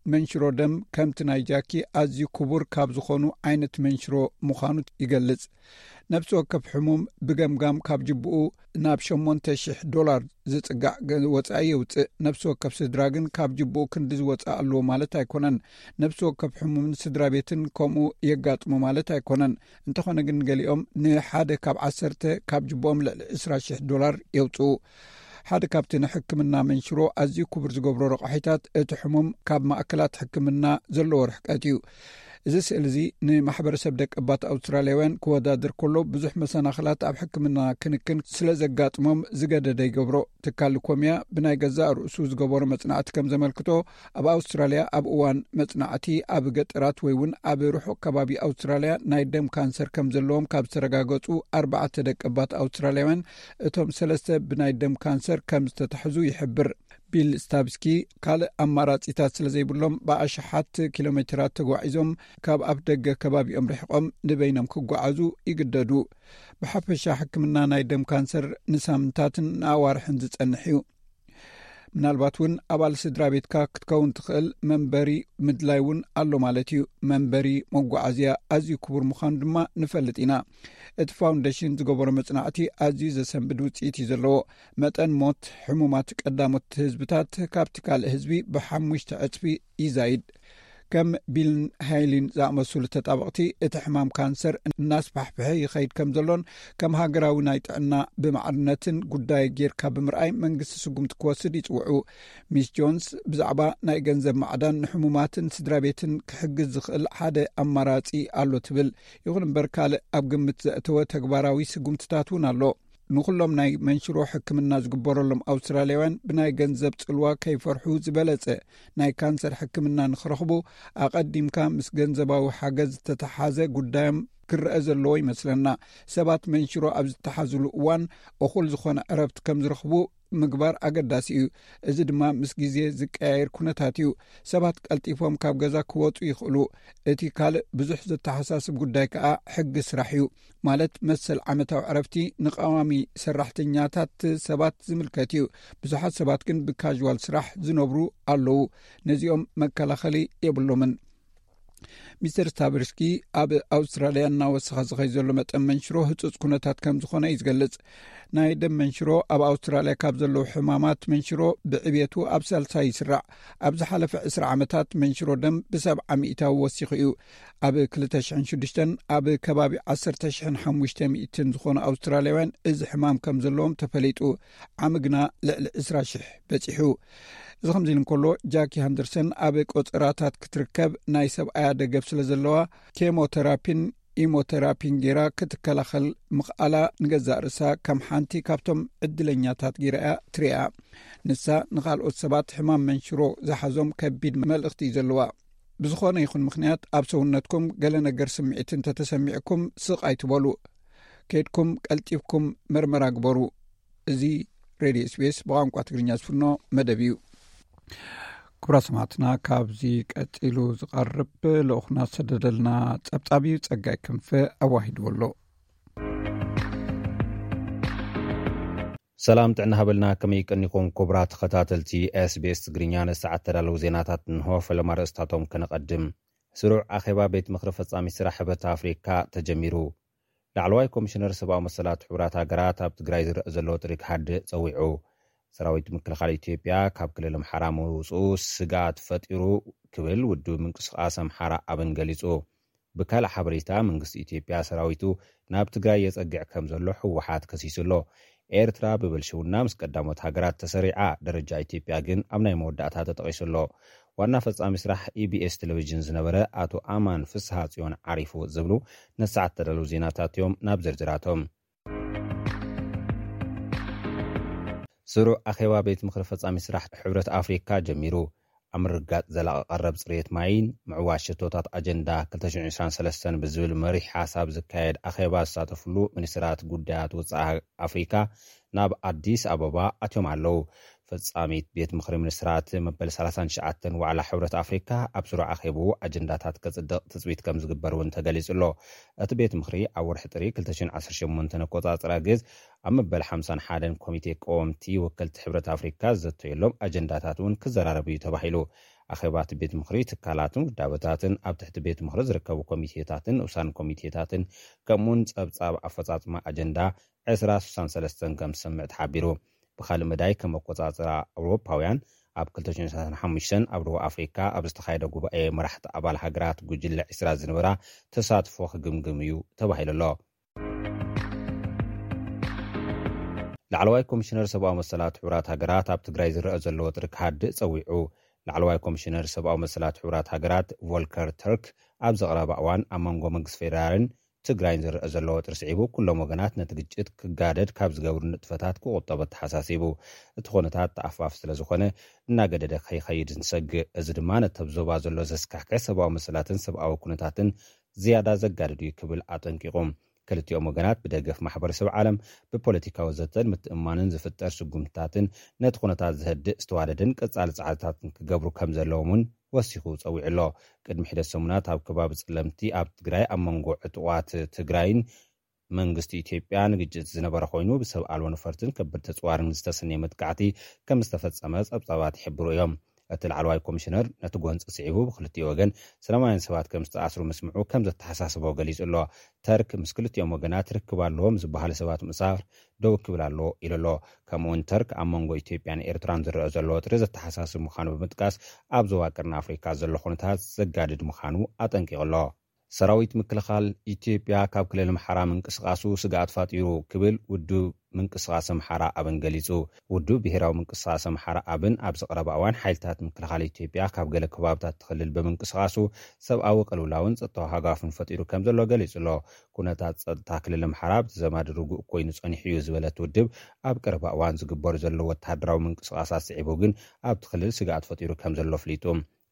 መንሽሮ ደም ከምቲ ናይ ጃኪ ኣዝዩ ክቡር ካብ ዝኾኑ ዓይነት መንሽሮ ምዃኑ ይገልጽ። ነፍሲ ወከፍ ሕሙም ብገምጋም ካብ ጅብኡ ናብ ሸሞንተ ሽሕ ዶላር ዝጽጋዕ ገ-፣ ወጻኢ የውጽእ። ነፍሲ ወከፍ ስድራ ግን ካብ ጅብኡ ክንዲ ዝወጽእ ኣለዎ ማለት ኣይኮነን። ነፍሲ ወከፍ ሕሙምን ስድራ ቤትን ከምኡ የጋጥሞ ማለት ኣይኮነን። እንተኾነ ግን ገሊኦም ንሓደ ካብ ዓሰርተ ካብ ጅብኦም ልዕሊ ዕስራ ሽሕ ዶላር የውጽኡ። ሓደ ካብቲ ንሕክምና መንሽሮ ኣዝዩ ክቡር ዝገብሮ ረቋሒታት እቲ ሕሙም ካብ ማእከላት ሕክምና ዘለዎ ርሕቀት እዩ። እዚ ስእሊ እዚ ንማሕበረሰብ ደቀባት ኣውስትራልያውያን ክወዳደር ከሎ ብዙሕ መሰናኽላት ኣብ ሕክምና ክንክን ስለ ዘጋጥሞም ዝገደደ ይገብሮ። ትካል ሊኮምያ ብናይ ገዛእ ርእሱ ዝገበሮ መጽናዕቲ ከም ዘመልክቶ፣ ኣብ ኣውስትራልያ ኣብ እዋን መጽናዕቲ ኣብ ገጠራት ወይ እውን ኣብ ርሑቕ ከባቢ ኣውስትራልያ ናይ ደም ካንሰር ከም ዘለዎም ካብ ዝተረጋገጹ ኣርባዕተ ደቀባት ኣውስትራልያውያን፣ እቶም ሰለስተ ብናይ ደም ካንሰር ከም ዝተታሕዙ ይሕብር። ቢል ስታብስኪ፣ ካልእ ኣማራጺታት ስለ ዘይብሎም፣ ብኣሽሓት ኪሎ ሜትራት ተጓዒዞም ካብ ኣፍ ደገ ከባቢኦም ርሒቖም ንበይኖም ክጓዓዙ ይግደዱ። ብሓፈሻ፣ ሕክምና ናይ ደም ካንሰር ንሳምንታትን ንኣዋርሕን ዝጸንሕ እዩ። ምናልባት እውን ኣባል ስድራ ቤትካ ክትከውን ትኽእል መንበሪ ምድላይ እውን ኣሎ ማለት እዩ። መንበሪ፣ መጓዓዝያ ኣዝዩ ክቡር ምዃኑ ድማ ንፈልጥ ኢና። እቲ ፋውንዴሽን ዝገበሮ መጽናዕቲ ኣዝዩ ዘሰንብድ ውጽኢት እዩ ዘለዎ። መጠን ሞት ሕሙማት ቀዳሞት ህዝብታት ካብቲ ካልእ ህዝቢ ብሓሙሽተ ዕጽፊ ይዛይድ። ከም ቢልን ሃይሊን ዝኣመሰሉ ተጣበቕቲ፣ እቲ ሕማም ካንሰር እናስፋሕፍሐ ይኸይድ ከም ዘሎን፣ ከም ሃገራዊ ናይ ጥዕና ብማዕርነትን ጉዳይ ጌርካ ብምርኣይ መንግስቲ ስጉምቲ ክወስድ ይጽውዑ። ሚስ ጆንስ ብዛዕባ ናይ ገንዘብ ማዕዳን ንሕሙማትን ስድራ ቤትን ክሕግዝ ዝኽእል ሓደ ኣማራጺ ኣሎ ትብል። ይኹን እምበር፣ ካልእ ኣብ ግምት ዘእተወ ተግባራዊ ስጉምትታት እውን ኣሎ። ንኹሎም ናይ መንሽሮ ሕክምና ዝግበረሎም ኣውስትራልያውያን ብናይ ገንዘብ ጽልዋ ከይፈርሑ ዝበለጸ ናይ ካንሰር ሕክምና ንኽረኽቡ፣ ኣቐዲምካ ምስ ገንዘባዊ ሓገዝ ዝተተሓዘ ጉዳዮም ክረአ ዘለዎ ይመስለና። ሰባት መንሽሮ ኣብ ዝተሓዝሉ እዋን እኹል ዝኾነ ዕረፍቲ ከም ዝረኽቡ ምግባር ኣገዳሲ እዩ። እዚ ድማ ምስ ግዜ ዝቀያየር ኩነታት እዩ። ሰባት ቀልጢፎም ካብ ገዛ ክወጹ ይኽእሉ። እቲ ካልእ ብዙሕ ዘተሓሳስብ ጉዳይ ከኣ ሕጊ ስራሕ እዩ። ማለት መሰል ዓመታዊ ዕረፍቲ ንቐዋሚ ሰራሕተኛታት ሰባት ዝምልከት እዩ። ብዙሓት ሰባት ግን ብካዥዋል ስራሕ ዝነብሩ ኣለዉ። ነዚኦም መከላኸሊ የብሎምን። ሚስተር ስታበርስኪ፣ ኣብ ኣውስትራልያ እናወሰኸ ዝኸይ ዘሎ መጠን መንሽሮ ህጹጽ ኩነታት ከም ዝኾነ እዩ ዝገልጽ። ናይ ደም መንሽሮ ኣብ ኣውስትራልያ ካብ ዘለዉ ሕማማት መንሽሮ ብዕብየቱ ኣብ ሳልሳይ ይስራዕ። ኣብ ዝሓለፈ ዕስራ ዓመታት መንሽሮ ደም ብሰብዓ ሚእታዊ ወሲኹ እዩ። ኣብ ክልተ ሽሕን ሽዱሽተን ኣብ ከባቢ ዓሰርተ ሽሕን ሓሙሽተ ሚእትን ዝኾኑ ኣውስትራልያውያን እዚ ሕማም ከም ዘለዎም ተፈሊጡ። ዓሚ ግና ልዕሊ ዕስራ ሽሕ በጺሑ። እዚ ከምዚ ኢሉ እንከሎ፣ ጃኪ ሃንደርሰን ኣብ ቆጸራታት ክትርከብ ናይ ሰብኣያ ደገፍ ስለ ዘለዋ፣ ኬሞቴራፒን ኢሞቴራፒን ጌራ ክትከላኸል ምኽኣላ ንገዛእ ርእሳ ከም ሓንቲ ካብቶም ዕድለኛታት ጌራ እያ ትሪኣ። ንሳ ንኻልኦት ሰባት ሕማም መንሽሮ ዝሓዞም ከቢድ መልእኽቲ እዩ ዘለዋ። ብዝኾነ ይኹን ምኽንያት ኣብ ሰውነትኩም ገለ ነገር ስምዒት እንተተሰሚዕኩም ስቕ ኣይትበሉ። ከይድኩም ቀልጢፍኩም መርመራ ግበሩ። እዚ ሬድዮ ኤስቢኤስ ብቋንቋ ትግርኛ ዝፍኖ መደብ እዩ። ክቡራት ሰማዕትና፣ ካብዚ ቀጺሉ ዝቐርብ ልኡኽና ዝሰደደልና ጸብጻብ እዩ። ጸጋይ ክንፈ ኣዋሂድዎ ኣሎ። ሰላም ጥዕና ሃበልና፣ ከመይ ቀኒኹም ክቡራት ተኸታተልቲ ኤስቢኤስ ትግርኛ? ንሰዓት ተዳለዉ ዜናታት እንሆ። ፈለማ ርእስታቶም ከነቐድም። ስሩዕ ኣኼባ ቤት ምኽሪ ፈጻሚ ስራሕ ሕብረት ኣፍሪካ ተጀሚሩ። ላዕለዋይ ኮሚሽነር ሰብኣዊ መሰላት ሕቡራት ሃገራት ኣብ ትግራይ ዝረአ ዘሎ ጥሪ ክሃድእ ጸዊዑ። ሰራዊት ምክልኻል ኢትዮጵያ ካብ ክልል ኣምሓራ ምውፅኡ ስግኣት ፈጢሩ ክብል ውድብ ምንቅስቓስ ኣምሓራ ኣብን ገሊጹ። ብካልእ ሓበሬታ፣ መንግስቲ ኢትዮጵያ ሰራዊቱ ናብ ትግራይ የጸግዕ ከም ዘሎ ህወሓት ከሲሱ ኣሎ። ኤርትራ ብብልሽውና ምስ ቀዳሞት ሃገራት ተሰሪዓ፣ ደረጃ ኢትዮጵያ ግን ኣብ ናይ መወዳእታ ተጠቒሱ ኣሎ። ዋና ፈጻሚ ስራሕ ኢቢኤስ ቴሌቪዥን ዝነበረ ኣቶ ኣማን ፍስሃ ጽዮን ዓሪፉ ዝብሉ ነሰዓት ተዳለዉ ዜናታት እዮም። ናብ ዝርዝራቶም። ስሩዕ ኣኼባ ቤት ምኽሪ ፈጻሚ ስራሕ ሕብረት ኣፍሪካ ጀሚሩ። ኣብ ምርጋጥ ዘላቒ ቀረብ ጽሬት ማይን ምዕዋት ሸቶታት ኣጀንዳ ክልተ ሽሕን ዕስራን ሰለስተን ብዝብል መሪሕ ሓሳብ ዝካየድ ኣኼባ ዝሳተፍሉ ሚኒስትራት ጉዳያት ወጻኢ ኣፍሪካ ናብ ኣዲስ ኣበባ ኣትዮም ኣለዉ። ፈጻሚት ቤት ምኽሪ ሚኒስትራት መበል ሰላሳን ትሽዓተን ዋዕላ ሕብረት ኣፍሪካ ኣብ ስሩዕ ኣኼብኡ ኣጀንዳታት ከጽድቕ ትጽቢት ከም ዝግበር እውን ተገሊጹ ኣሎ። እቲ ቤት ምኽሪ ኣብ ወርሒ ጥሪ ክልተ ሽሕን ዓሰርተ ሸሞንተን ኣቆጻጽራ ግዝ ኣብ መበል ሓምሳን ሓደን ኮሚቴ ቀወምቲ ወከልቲ ሕብረት ኣፍሪካ ዝዘተየሎም ኣጀንዳታት እውን ክዘራረብ እዩ ተባሂሉ። ኣኼባ እቲ ቤት ምኽሪ ትካላትን ውዳበታትን ኣብ ትሕቲ ቤት ምኽሪ ዝርከቡ ኮሚቴታትን ንኡሳን ኮሚቴታትን ከምኡውን ጸብጻብ ኣፈጻጽማ ኣጀንዳ ዕስራ ስሳን ሰለስተን ከም ዝሰምዕ ተሓቢሩ። ብኻልእ መዳይ ከም ኣቆጻጽራ ኣውሮፓውያን ኣብ ክልተ ሽሕን ሰላሳን ሓሙሽተን ኣብ ደቡብ ኣፍሪካ ኣብ ዝተኻየደ ጉባኤ መራሕቲ ኣባል ሃገራት ጉጅለ ዕስራ ዝነበራ ተሳትፎ ክግምግም እዩ ተባሂሉ ኣሎ። ላዕለዋይ ኮሚሽነር ሰብኣዊ መሰላት ሕቡራት ሃገራት ኣብ ትግራይ ዝረአ ዘሎ ወጥሪ ክሃድእ ጸዊዑ። ላዕለዋይ ኮሚሽነር ሰብኣዊ መሰላት ሕቡራት ሃገራት ቮልከር ተርክ ኣብ ዘቕረባ እዋን ኣብ መንጎ መንግስቲ ፌደራልን ትግራይን ዝረአ ዘሎ ወጥሪ ስዒቡ ኩሎም ወገናት ነቲ ግጭት ክጋደድ ካብ ዝገብሩ ንጥፈታት ክቑጠቡ ኣተሓሳሲቡ። እቲ ኩነታት ተኣፋፍ ስለ ዝኾነ እናገደደ ከይኸይድ ንሰግእ። እዚ ድማ ነቲ ኣብ ዞባ ዘሎ ዘስካሕክሕ ሰብኣዊ መሰላትን ሰብኣዊ ኩነታትን ዝያዳ ዘጋድድ እዩ ክብል ኣጠንቂቑ። ክልቲኦም ወገናት ብደገፍ ማሕበረሰብ ዓለም ብፖለቲካዊ ዘተን ምትእምማንን ዝፍጠር ስጉምትታትን ነቲ ኩነታት ዘህድእ ዝተዋደደን ቀጻሊ ጻዕርታትን ክገብሩ ከም ዘለዎም እውን ወሲኹ ጸዊዑ ኣሎ። ቅድሚ ሒደት ሰሙናት ኣብ ከባቢ ጸለምቲ ኣብ ትግራይ ኣብ መንጎ ዕጡቓት ትግራይን መንግስቲ ኢትዮጵያ ንግጭት ዝነበረ ኮይኑ ብሰብ ኣልቦ ነፈርትን ከበድቲ ኣጽዋርን ዝተሰነየ መጥቃዕቲ ከም ዝተፈጸመ ጸብጻባት ይሕብሩ እዮም። እቲ ላዕለዋይ ኮሚሽነር ነቲ ጎንፂ ስዒቡ ብክልቲኡ ወገን ሰላማውያን ሰባት ከም ዝተኣስሩ ምስምዑ ከም ዘተሓሳስቦ ገሊጹ ኣሎ። ተርክ ምስ ክልቲኦም ወገናት ርክብ ኣለዎም ዝበሃሉ ሰባት ምእሳር ደው ክብል ኣሎ ኢሉ ኣሎ። ከምኡውን ተርክ ኣብ መንጎ ኢትዮጵያን ኤርትራን ዝረአ ዘሎ ወጥሪ ዘተሓሳስብ ምዃኑ ብምጥቃስ ኣብ ዞባ ቀርኒ ኣፍሪካ ዘሎ ኩነታት ዘጋድድ ምዃኑ ኣጠንቂቑ ኣሎ። ሰራዊት ምክልኻል ኢትዮጵያ ካብ ክልል ኣምሓራ ምንቅስቓሱ ስግኣት ፋጢሩ ክብል ውድብ ምንቅስቓስ ኣምሓራ ኣብን ገሊጹ። ውድብ ብሄራዊ ምንቅስቓስ ኣምሓራ ኣብን ኣብ ዝቐረበ እዋን ሓይልታት ምክልኻል ኢትዮጵያ ካብ ገለ ከባብታት እቲ ክልል ብምንቅስቓሱ ሰብኣዊ ቅልውላውን ጸጥታዊ ሃጓፍን ፈጢሩ ከም ዘሎ ገሊጹ ኣሎ። ኩነታት ጸጥታ ክልል ኣምሓራ ብተዘማዲ ርጉእ ኮይኑ ጸኒሑ እዩ ዝበለት ውድብ ኣብ ቀረባ እዋን ዝግበሩ ዘለዉ ወተሃደራዊ ምንቅስቓሳት ስዒቡ ግን ኣብቲ ክልል ስግኣት ፈጢሩ ከም ዘሎ ኣፍሊጡ።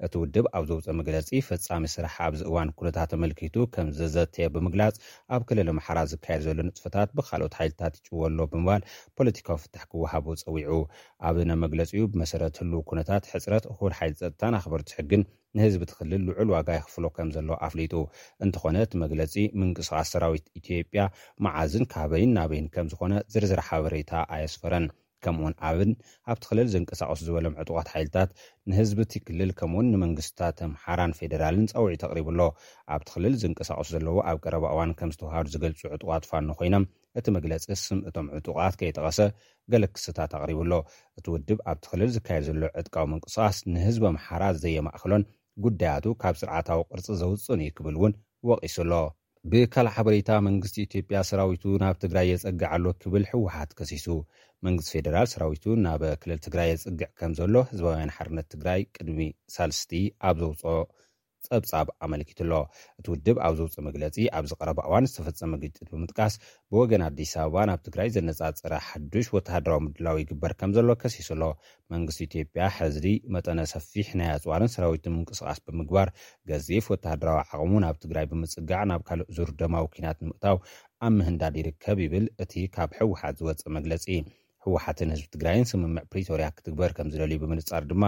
እቲ ውድብ ኣብ ዘውፅኦ መግለፂ ፈፃሚ ስራሕ ኣብዚ እዋን ኩነታት ተመልኪቱ ከም ዘዘተየ ብምግላፅ ኣብ ክልል ኣምሓራ ዝካየድ ዘሎ ንጥፈታት ብካልኦት ሓይልታት ይጭወ ኣሎ ብምባል ፖለቲካዊ ፍታሕ ክወሃቦ ፀዊዑ። ኣብ ናይ መግለፂኡ ብመሰረት ህልው ኩነታት ሕፅረት እኹል ሓይሊ ፀጥታን ኣኽበርቲ ሕግን ንህዝቢ እቲ ክልል ልዑል ዋጋ የኽፍሎ ከም ዘሎ ኣፍሊጡ። እንተኾነ እቲ መግለፂ ምንቅስቓስ ሰራዊት ኢትዮጵያ መዓዝን ካበይን ናበይን ከም ዝኾነ ዝርዝር ሓበሬታ ኣየስፈረን። ከምኡውን ኣብን ኣብቲ ክልል ዝንቀሳቐሱ ዝበሎም ዕጡቓት ሓይልታት ንህዝቢ እቲ ክልል ከምኡውን ንመንግስታት ኣምሓራን ፌደራልን ፃውዒት ኣቕሪቡ ኣሎ። ኣብቲ ክልል ዝንቀሳቐሱ ዘለዉ ኣብ ቀረባ እዋን ከም ዝተዋሃዱ ዝገልፁ ዕጡቓት ፋኖ ኮይኖም እቲ መግለፂ ስም እቶም ዕጡቓት ከይጠቐሰ ገለ ክስታት ኣቕሪቡ ኣሎ። እቲ ውድብ ኣብቲ ክልል ዝካየድ ዘሎ ዕጥቃዊ ምንቅስቓስ ንህዝቢ ኣምሓራ ዘየማእኸሎን ጉዳያቱ ካብ ስርዓታዊ ቅርፂ ዘውፅእን እዩ ክብል እውን ወቒሱ ኣሎ። ብካልእ ሓበሬታ መንግስቲ ኢትዮጵያ ሰራዊቱ ናብ ትግራይ የጸግዕ ኣሎ ክብል ህወሓት ከሲሱ። መንግስቲ ፌደራል ሰራዊቱ ናብ ክልል ትግራይ የጽግዕ ከም ዘሎ ህዝባውያን ሓርነት ትግራይ ቅድሚ ሳልስቲ ኣብ ዘውፅኦ ጸብጻብ ኣመልኪቱ ኣሎ። እቲ ውድብ ኣብ ዘውፅኦ መግለፂ ኣብ ዝቐረበ እዋን ዝተፈጸመ ግጭት ብምጥቃስ ብወገን ኣዲስ ኣበባ ናብ ትግራይ ዘነጻጸረ ሓዱሽ ወተሃደራዊ ምድላው ይግበር ከም ዘሎ ከሲሱ ኣሎ። መንግስቲ ኢትዮጵያ ሕዚ መጠነ ሰፊሕ ናይ ኣጽዋርን ሰራዊትን ምንቅስቓስ ብምግባር ገዚፍ ወተሃደራዊ ዓቕሙ ናብ ትግራይ ብምጽጋዕ ናብ ካልእ ዙር ደማዊ ኲናት ንምእታው ኣብ ምህንዳድ ይርከብ ይብል እቲ ካብ ህወሓት ዝወጸ መግለጺ። ህወሓትን ህዝቢ ትግራይን ስምምዕ ፕሪቶርያ ክትግበር ከም ዝደልዩ ብምንጻር ድማ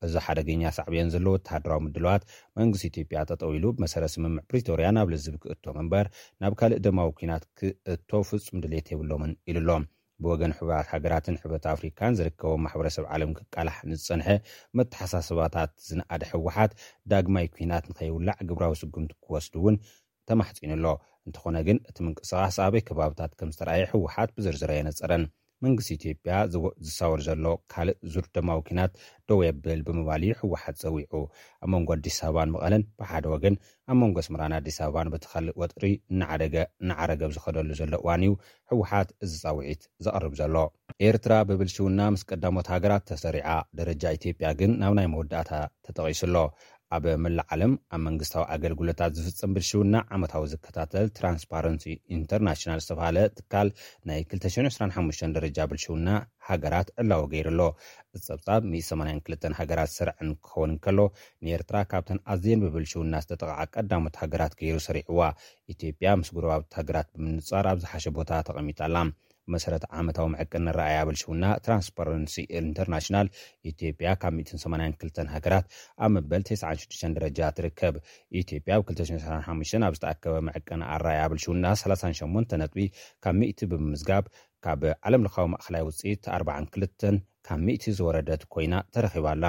እዚ ሓደገኛ ሳዕቤን ዘለዎ ወተሃደራዊ ምድላዋት መንግስቲ ኢትዮጵያ ጠጠው ኢሉ ብመሰረት ስምምዕ ፕሪቶርያ ናብ ልዝብ ክእቶ እምበር ናብ ካልእ ደማዊ ኲናት ክእቶ ፍጹም ድሌት የብሎምን ኢሉ ኣሎ። ብወገን ሕቡራት ሃገራትን ሕብረት ኣፍሪካን ዝርከቦም ማሕበረሰብ ዓለም ክቃላሕ ንዝጸንሐ መተሓሳስባታት ዝነኣደ ህወሓት ዳግማይ ኲናት ንኸይውላዕ ግብራዊ ስጉምቲ ክወስድ እውን ተማሕጺኑ ኣሎ። እንተኾነ ግን እቲ ምንቅስቓስ ኣበይ ከባብታት ከም ዝተረኣየ ህወሓት ብዝርዝር ኣየነጸረን። መንግስቲ ኢትዮጵያ ዝወ- ዝሳወር ዘሎ ካልእ ዙር ደማዊ ኲናት ደው የብል ብምባል እዩ ህወሓት ጸዊዑ። ኣብ መንጎ ኣዲስ ኣበባን መቐለን ብሓደ ወገን ኣብ መንጎ ኣስመራን ኣዲስ ኣበባን በቲ ካልእ ወጥሪ እናዓደገ እናዓረገ ኣብ ዝኸደሉ ዘሎ እዋን እዩ ህወሓት እዚ ፃውዒት ዘቕርብ ዘሎ። ኤርትራ ብብልሽውና ምስ ቀዳሞት ሃገራት ተሰሪዓ፣ ደረጃ ኢትዮጵያ ግን ናብ ናይ መወዳእታ ተጠቒሱ ኣሎ። ኣብ መላእ ዓለም ኣብ መንግስታዊ ኣገልግሎታት ዝፍጸም ብልሽውና ዓመታዊ ዝከታተል ትራንስፓረንሲ ኢንተርናሽናል ዝተባህለ ትካል ናይ ክልተ ሽሕን ዕስራን ሓሙሽተን ደረጃ ብልሽውና ሃገራት ዕላዊ ገይሩ ኣሎ። እቲ ጸብጻብ ሚእቲ ሰማንያን ክልተን ሃገራት ዝሰርዐን ክኸውን እንከሎ፣ ንኤርትራ ካብተን ኣዝየን ብብልሽውና ዝተጠቕዓ ቀዳሞት ሃገራት ገይሩ ሰሪዕዋ። ኢትዮጵያ ምስ ጎረባብቲ ሃገራት ብምንጻር ኣብ ዝሓሸ ቦታ ተቐሚጣ ኣላ። መሰረት ዓመታዊ መዐቀኒ ኣረኣእያ ብልሽውና ትራንስፓረንሲ ኢንተርናሽናል፣ ኢትዮጵያ ካብ ሚእትን ሰማንያን ክልተን ሃገራት ኣብ መበል ተስዓን ሽዱሽተን ደረጃ ትርከብ። ኢትዮጵያ ኣብ ክልተ ሽሕን ዕስራን ሓሙሽተን ኣብ ዝተኣከበ መዐቀኒ ኣረኣእያ ብልሽውና ሰላሳን ሸሞንተ ነጥቢ ካብ ሚእቲ ብምምዝጋብ፣ ካብ ዓለም ለኻዊ ማእኸላይ ውፅኢት ኣርባዓን ክልተን ካብ ሚእቲ ዝወረደት ኮይና ተረኺባ ኣላ።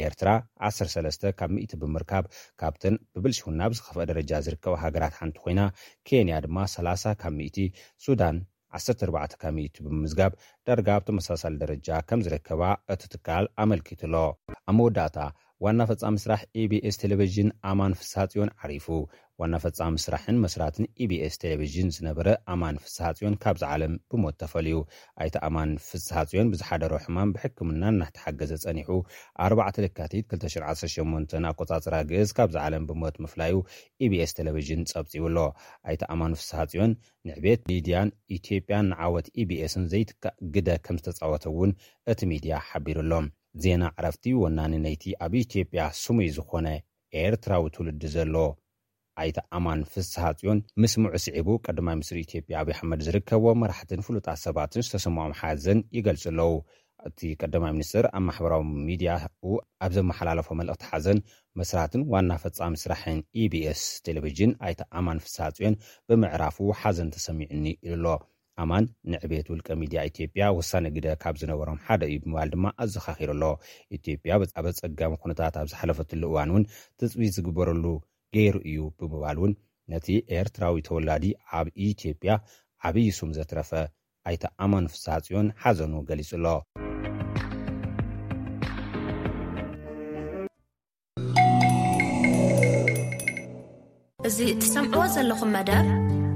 ኤርትራ ዓሰርተ ሰለስተ ካብ ሚእቲ ብምርካብ፣ ካብተን ብብልሽውና ኣብ ዝኸፍአ ደረጃ ዝርከባ ሃገራት ሓንቲ ኮይና፣ ኬንያ ድማ ሰላሳ ካብ ሚእቲ፣ ሱዳን ዓሰርተ ኣርባዕተ ካብ ሚእቲ ብምምዝጋብ፣ ዳርጋ ኣብ ተመሳሳሊ ደረጃ ከም ዝርከባ እቲ ትካል ኣመልኪቱ ኣሎ። ኣብ መወዳእታ፣ ዋና ፈጻሚ ስራሕ ኢቢኤስ ቴሌቪዥን ኣማን ፍስሃጽዮን ዓሪፉ። ዋና ፈጻሚ ስራሕን መስራትን ኢቢኤስ ቴሌቪዥን ዝነበረ ኣማን ፍስሃጽዮን ካብዚ ዓለም ብሞት ተፈልዩ። ኣይተ ኣማን ፍስሃጽዮን ብዝሓደሮ ሕማም ብሕክምና እናተሓገዘ ጸኒሑ፣ ኣርባዕተ ለካቲት ክልተ ሽሕን ዓሰርተ ሸሞንተን ኣቆጻጽራ ግእዝ ካብዚ ዓለም ብሞት ምፍላዩ ኢቢኤስ ቴሌቪዥን ጸብጺቡ ኣሎ። ኣይተ ኣማን ፍስሃጽዮን ንዕቤት ሚድያን ኢትዮጵያን ንዓወት ኢቢኤስን ዘይትካእ ግደ ከም ዝተጻወተ እውን እቲ ሚድያ ሓቢሩ ኣሎ። ዜና ዕረፍቲ። ወናኒ ነይቲ ኣብ ኢትዮጵያ ስሙይ ዝኾነ ኤርትራዊ ትውልዲ ዘሎ ኣይተ ኣማን ፍስሃጽዮን ምስምዑ ስዒቡ፣ ቀዳማይ ሚኒስትር ኢትዮጵያ ኣብይ ኣሕመድ ዝርከብዎም መራሕትን ፍሉጣት ሰባትን ዝተሰምዖም ሓዘን ይገልጹ ኣለዉ። እቲ ቀዳማይ ሚኒስትር ኣብ ማሕበራዊ ሚድያኡ ኣብ ዘመሓላለፎ መልእኽቲ ሓዘን፣ መስራትን ዋና ፈጻሚ ስራሕን ኢቢኤስ ቴሌቪዥን ኣይተ ኣማን ፍስሃጽዮን ብምዕራፉ ሓዘን ተሰሚዑኒ ኢሉ ኣሎ። ኣማን ንዕቤት ውልቀ ሚድያ ኢትዮጵያ ወሳኒ ግደ ካብ ዝነበሮም ሓደ እዩ ብምባል ድማ ኣዘኻኺሩ ኣሎ። ኢትዮጵያ ኣብ ኣጸጋሚ ኩነታት ኣብ ዝሓለፈትሉ እዋን እውን ትጽቢት ዝግበረሉ ገይሩ እዩ ብምባል እውን ነቲ ኤርትራዊ ተወላዲ ኣብ ኢትዮጵያ ዓብዪ ስም ዘትረፈ ኣይተ ኣማን ፍስሃጽዮን ሓዘኑ ገሊጹ ኣሎ። እዚ እትሰምዕዎ ዘለኹም መደብ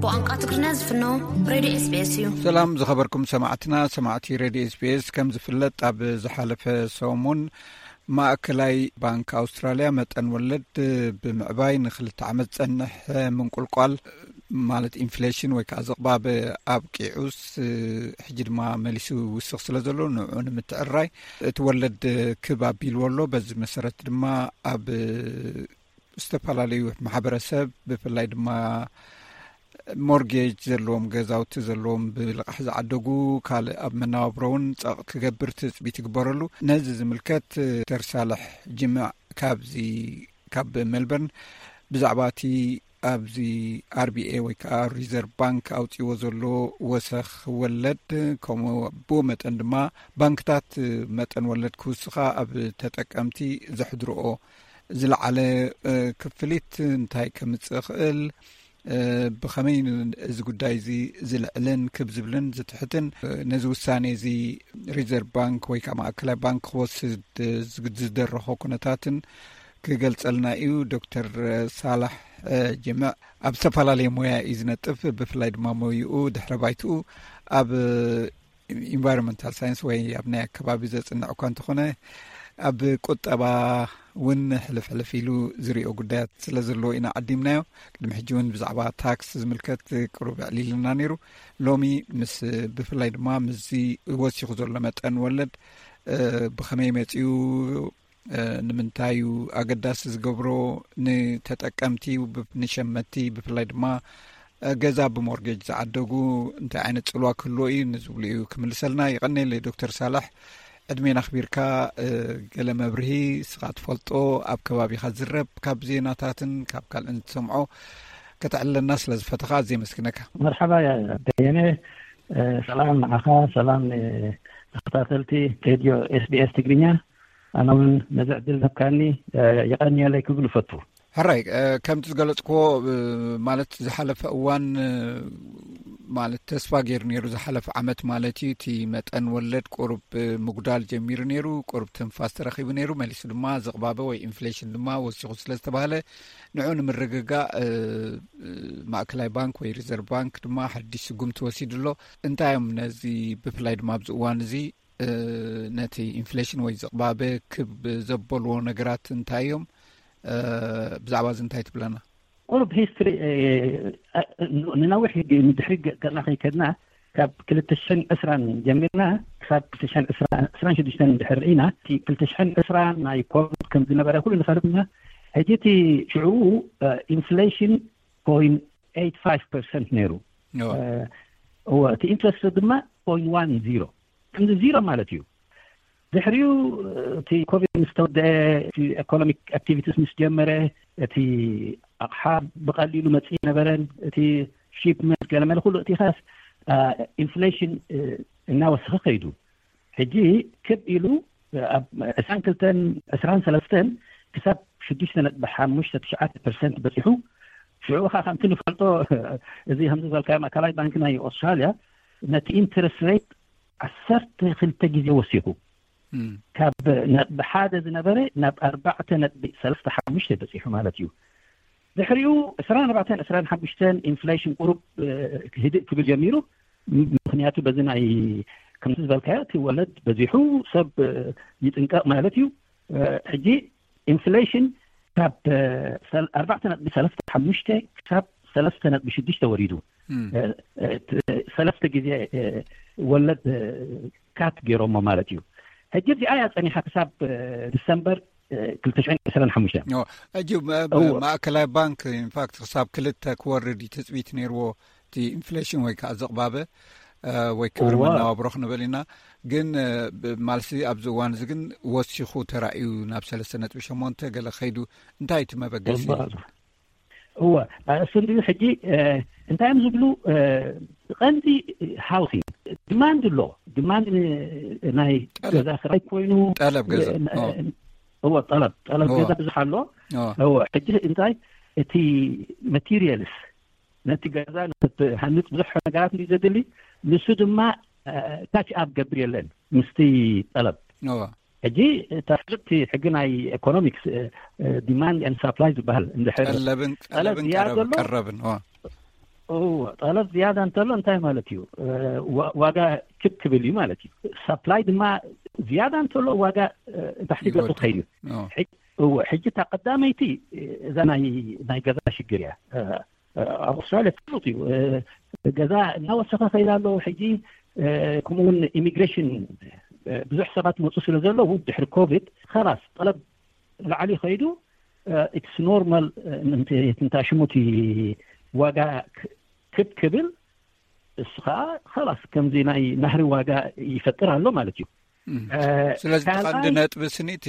ብቋንቋ ትግርኛ ዝፍኖ ሬድዮ ኤስቢኤስ እዩ። ሰላም ዝኸበርኩም ሰማዕትና፣ ሰማዕቲ ሬድዮ ኤስቢኤስ፣ ከም ዝፍለጥ ኣብ ዝሓለፈ ሰሙን ማእከላይ ባንክ ኣውስትራልያ መጠን ወለድ ብምዕባይ ንክልተ ዓመት ዝጸንሕ ምንቁልቋል ማለት ኢንፍሌሽን ወይ ከዓ ዝቕባብ ኣብቂዑስ፣ ሕጂ ድማ መሊሱ ይውስኽ ስለ ዘሎ ንዕኡ ንምትዕርራይ እቲ ወለድ ክብ ኣቢልዎ ኣሎ። በዚ መሰረት ድማ ኣብ ዝተፈላለዩ ማሕበረሰብ ብፍላይ ድማ ሞርጌጅ ዘለዎም ገዛውቲ ዘለዎም ብልቓሕ ዝዓደጉ ካልእ ኣብ መነባብሮ እውን ጸቕ ክገብር ትጽቢት ይግበረሉ። ነዚ ዝምልከት ዶክተር ሳልሕ ጅምዕ ካብዚ ካብ ሜልበርን ብዛዕባ እቲ ኣብዚ ኣርቢኤ ወይ ከዓ ሪዘርቭ ባንክ ኣውፅዎ ዘሎ ወሰኽ ወለድ ከምኡ ብኡ መጠን ድማ ባንክታት መጠን ወለድ ክውስኻ ኣብ ተጠቀምቲ ዘሕድርኦ ዝለዓለ ክፍሊት እንታይ ከምፅእ ይኽእል፣ ብኸመይ እዚ ጉዳይ እዚ ዝልዕልን ክብ ዝብልን ዝትሕትን ነዚ ውሳኔ እዚ ሪዘርቭ ባንክ ወይ ከዓ ማእከላይ ባንክ ክወስድ ዝደረኾ ኩነታትን ክገልጸልና እዩ። ዶክተር ሳላሕ ጅምዕ ኣብ ዝተፈላለየ ሞያ እዩ ዝነጥፍ። ብፍላይ ድማ ሞይኡ ድሕረ ባይትኡ ኣብ ኢንቫይሮንመንታል ሳይንስ ወይ ኣብ ናይ ኣከባቢ ዘጽንዕ እኳ እንተኾነ፣ ኣብ ቁጠባ እውን ሕልፍ ሕልፍ ኢሉ ዝሪኦ ጉዳያት ስለ ዘለዎ ኢና ዓዲምናዮ። ቅድሚ ሕጂ እውን ብዛዕባ ታክስ ዝምልከት ቅሩብ ኣዕሊልና ነይሩ። ሎሚ ምስ፣ ብፍላይ ድማ ምስዚ ወሲኹ ዘሎ መጠን ወለድ፣ እ፣ ብኸመይ መጺኡ፣ እ፣ ንምንታይ እዩ ኣገዳሲ ዝገብሮ፣ ንተጠቀምቲ፣ ብ-፣ ንሸመትቲ፣ ብፍላይ ድማ ገዛ ብሞርጌጅ ዝዓደጉ እንታይ ዓይነት ጽልዋ ክህልዎ እዩ ንዝብሉ እዩ ክምልሰልና። ይቐኔል ዶክተር ሳላሕ፣ ዕድሜና ኣኽቢርካ፣ እ፣ ገለ መብርሂ ንስኻ ትፈልጦ ኣብ ከባቢኻ ዝረብ ካብ ዜናታትን ካብ ካልእን ትሰምዖ ከተዕልለና ስለ ዝፈተኻ ኣዝየ የመስግነካ። መርሓባ በየነ፣ እ፣ ሰላም ንዓኻ፣ ሰላም ንተኸታተልቲ ሬድዮ ኤስቢኤስ ትግርኛ። ኣነ እውን ነዚ ዕድል ዝሃብካኒ፣ እ፣ የቐንየለይ ክብል እፈቱ። ሕራይ፣ እ፣ ከምቲ ዝገለጽክዎ፣ እ፣ ማለት ዝሓለፈ እዋን፣ እ፣ ማለት ተስፋ ገይሩ ነይሩ ዝሓለፈ ዓመት ማለት እዩ። እቲ መጠን ወለድ ቁሩብ ምጉዳል ጀሚሩ ነይሩ፣ ቁሩብ ትንፋስ ተረኺቡ ነይሩ። መሊሱ ድማ ዝቕባበ ወይ ኢንፍሌሽን ድማ ወሲኹ ስለ ዝተባህለ ንዑ ንምርግጋእ ማእከላይ ባንክ ወይ ሪዘርቭ ባንክ ድማ ሓድሽ ስጉምቲ ወሲዱ ኣሎ። እንታይ እዮም ነዚ ብፍላይ ድማ ኣብዚ እዋን እዚ ነቲ ኢንፍሌሽን ወይ ዝቕባበ ክብ ዘበልዎ ነገራት እንታይ እዮም? ብዛዕባ እዚ እንታይ ትብለና? ቁሩብ ሂስትሪ ንነዊሕ ንድሕሪ ገና ከይከድና ካብ ክልተ ሽሕን ዕስራን ጀሚርና ክሳብ ክልተ ሽሕን ዕስራን ሽዱሽተን እንድሕር ርኢና እቲ ክልተ ሽሕን ዕስራን ናይ ኮቪድ ከም ዝነበረ ኩሉ ንፈልጥና። ሕጂ እቲ ሽዑ ኢንፍሌሽን ፖይንት ኤይት ፋይቭ ፐርሰንት ነይሩ። እወ እቲ ኢንትረስት ድማ ፖይንት ዋን ዚሮ ከምዚ ዚሮ ማለት እዩ። ድሕሪኡ እቲ ኮቪድ ምስ ተወደአ፣ እቲ ኢኮኖሚክ ኣክቲቪቲስ ምስ ጀመረ፣ እቲ ኣቕሓ ብቐሊሉ መፅእ ነበረን። እቲ ሺፕመንት ገለመለ ኩሉ እቲ ኻስ ኢንፍሌሽን እናወሰኸ ከይዱ። ሕጂ ክብ ኢሉ ኣብ ዕስራን ክልተን ዕስራን ሰለስተን ክሳብ ሽዱሽተ ነጥቢ ሓሙሽተ ትሽዓተ ፐርሰንት በፂሑ። ሽዑ ኸዓ ከምቲ ንፈልጦ እዚ ከምዚ ዝበልካዮ ማእከላይ ባንክ ናይ ኣውስትራልያ ነቲ ኢንትረስት ሬት ዓሰርተ ክልተ ግዜ ወሲኹ ካብ ነጥቢ ሓደ ዝነበረ ናብ ኣርባዕተ ነጥቢ ሰለስተ ሓሙሽተ በፂሑ ማለት እዩ። ድሕሪኡ ዕስራን ኣርባዕተን ዕስራን ሓሙሽተን ኢንፍሌሽን ቁሩብ ህድእ ክብል ጀሚሩ። ምክንያቱ በዚ ናይ ከምዚ ዝበልካዮ እቲ ወለድ በዚሑ ሰብ ይጥንቀቕ ማለት እዩ። ሕጂ ኢንፍሌሽን ካብ ኣርባዕተ ነጥቢ ሰለስተ ሓሙሽተ ክሳብ ሰለስተ ነጥቢ ሽዱሽተ ወሪዱ። ሰለስተ ግዜ ወለድ ካት ገይሮሞ ማለት እዩ። ሕጂ እዚኣ እያ ፀኒሓ ክሳብ ዲሰምበር ክልተ ሽሕን ዕስራን ሓሙሽተን። ሕጂ ማእከላይ ባንክ ኢንፋክት ክሳብ ክልተ ክወርድ እዩ ትፅቢት ነይርዎ፣ እቲ ኢንፍሌሽን ወይ ከዓ ዝቕባበ ወይ ክብሪ መናባብሮ ክንበል ኢና። ግን ማልሲ ኣብዚ እዋን እዚ ግን ወሲኹ ተራእዩ ናብ ሰለስተ ነጥቢ ሸሞንተ ገለ ከይዱ። እንታይ እቲ መበገሲ? እወ እሱ እንዲዩ። ሕጂ እንታይ እዮም ዝብሉ? ቀንዲ ሃውሲንግ ዲማንድ ኣሎ። ዲማንድ ናይ ገዛ ክራይ ኮይኑ ጠለብ ገዛ እወ ጠለብ ጠለብ ገዛ ብዙሕ ኣሎ። እወ ሕጂ እንታይ እቲ ማቴሪያልስ ነቲ ገዛ ንክትሃንፅ ብዙሕ ነገራት እንዲ ዘድሊ፣ ንሱ ድማ ካች ኣፕ ገብር የለን ምስቲ ጠለብ። ሕጂ እታ ፍልጥቲ ሕጊ ናይ ኢኮኖሚክስ ዲማንድ ኤንድ ሳፕላይ ዝበሃል እንድሕር ጠለብን ጠለብ ቀረብን ዝያዳ ጠለብ ዘሎ ቀረብን እወ ጠለብ ዝያዳ እንተሎ እንታይ ማለት እዩ? ዋጋ ክብ ክብል እዩ ማለት እዩ። ሳፕላይ ድማ ዝያዳ እንተሎ ዋጋ ታሕቲ ገፁ ይወድቕ። ትኸይድ እዩ። እወ ሕጂ እታ ቀዳመይቲ እዛ ናይ ናይ ገዛ ሽግር እያ። ኣብ ኣውስትራልያ ፍሉጥ እዩ። ገዛ እናወሰኸ ከይዳ ኣለዉ። ሕጂ ከምኡውን ኢሚግሬሽን ብዙሕ ሰባት መፁ ስለ ዘለዉ ድሕሪ ኮቪድ ኸላስ ጠለብ ላዕሊ ከይዱ ኢትስ ኖርማል። እንታ ሽሙቲ ዋጋ ክብ ክብል እሱ ከዓ ኸላስ ከምዚ ናይ ናህሪ ዋጋ ይፈጥር ኣሎ ማለት እዩ። ስለዚ ቀንዲ ነጥቢ ስኒ እቲ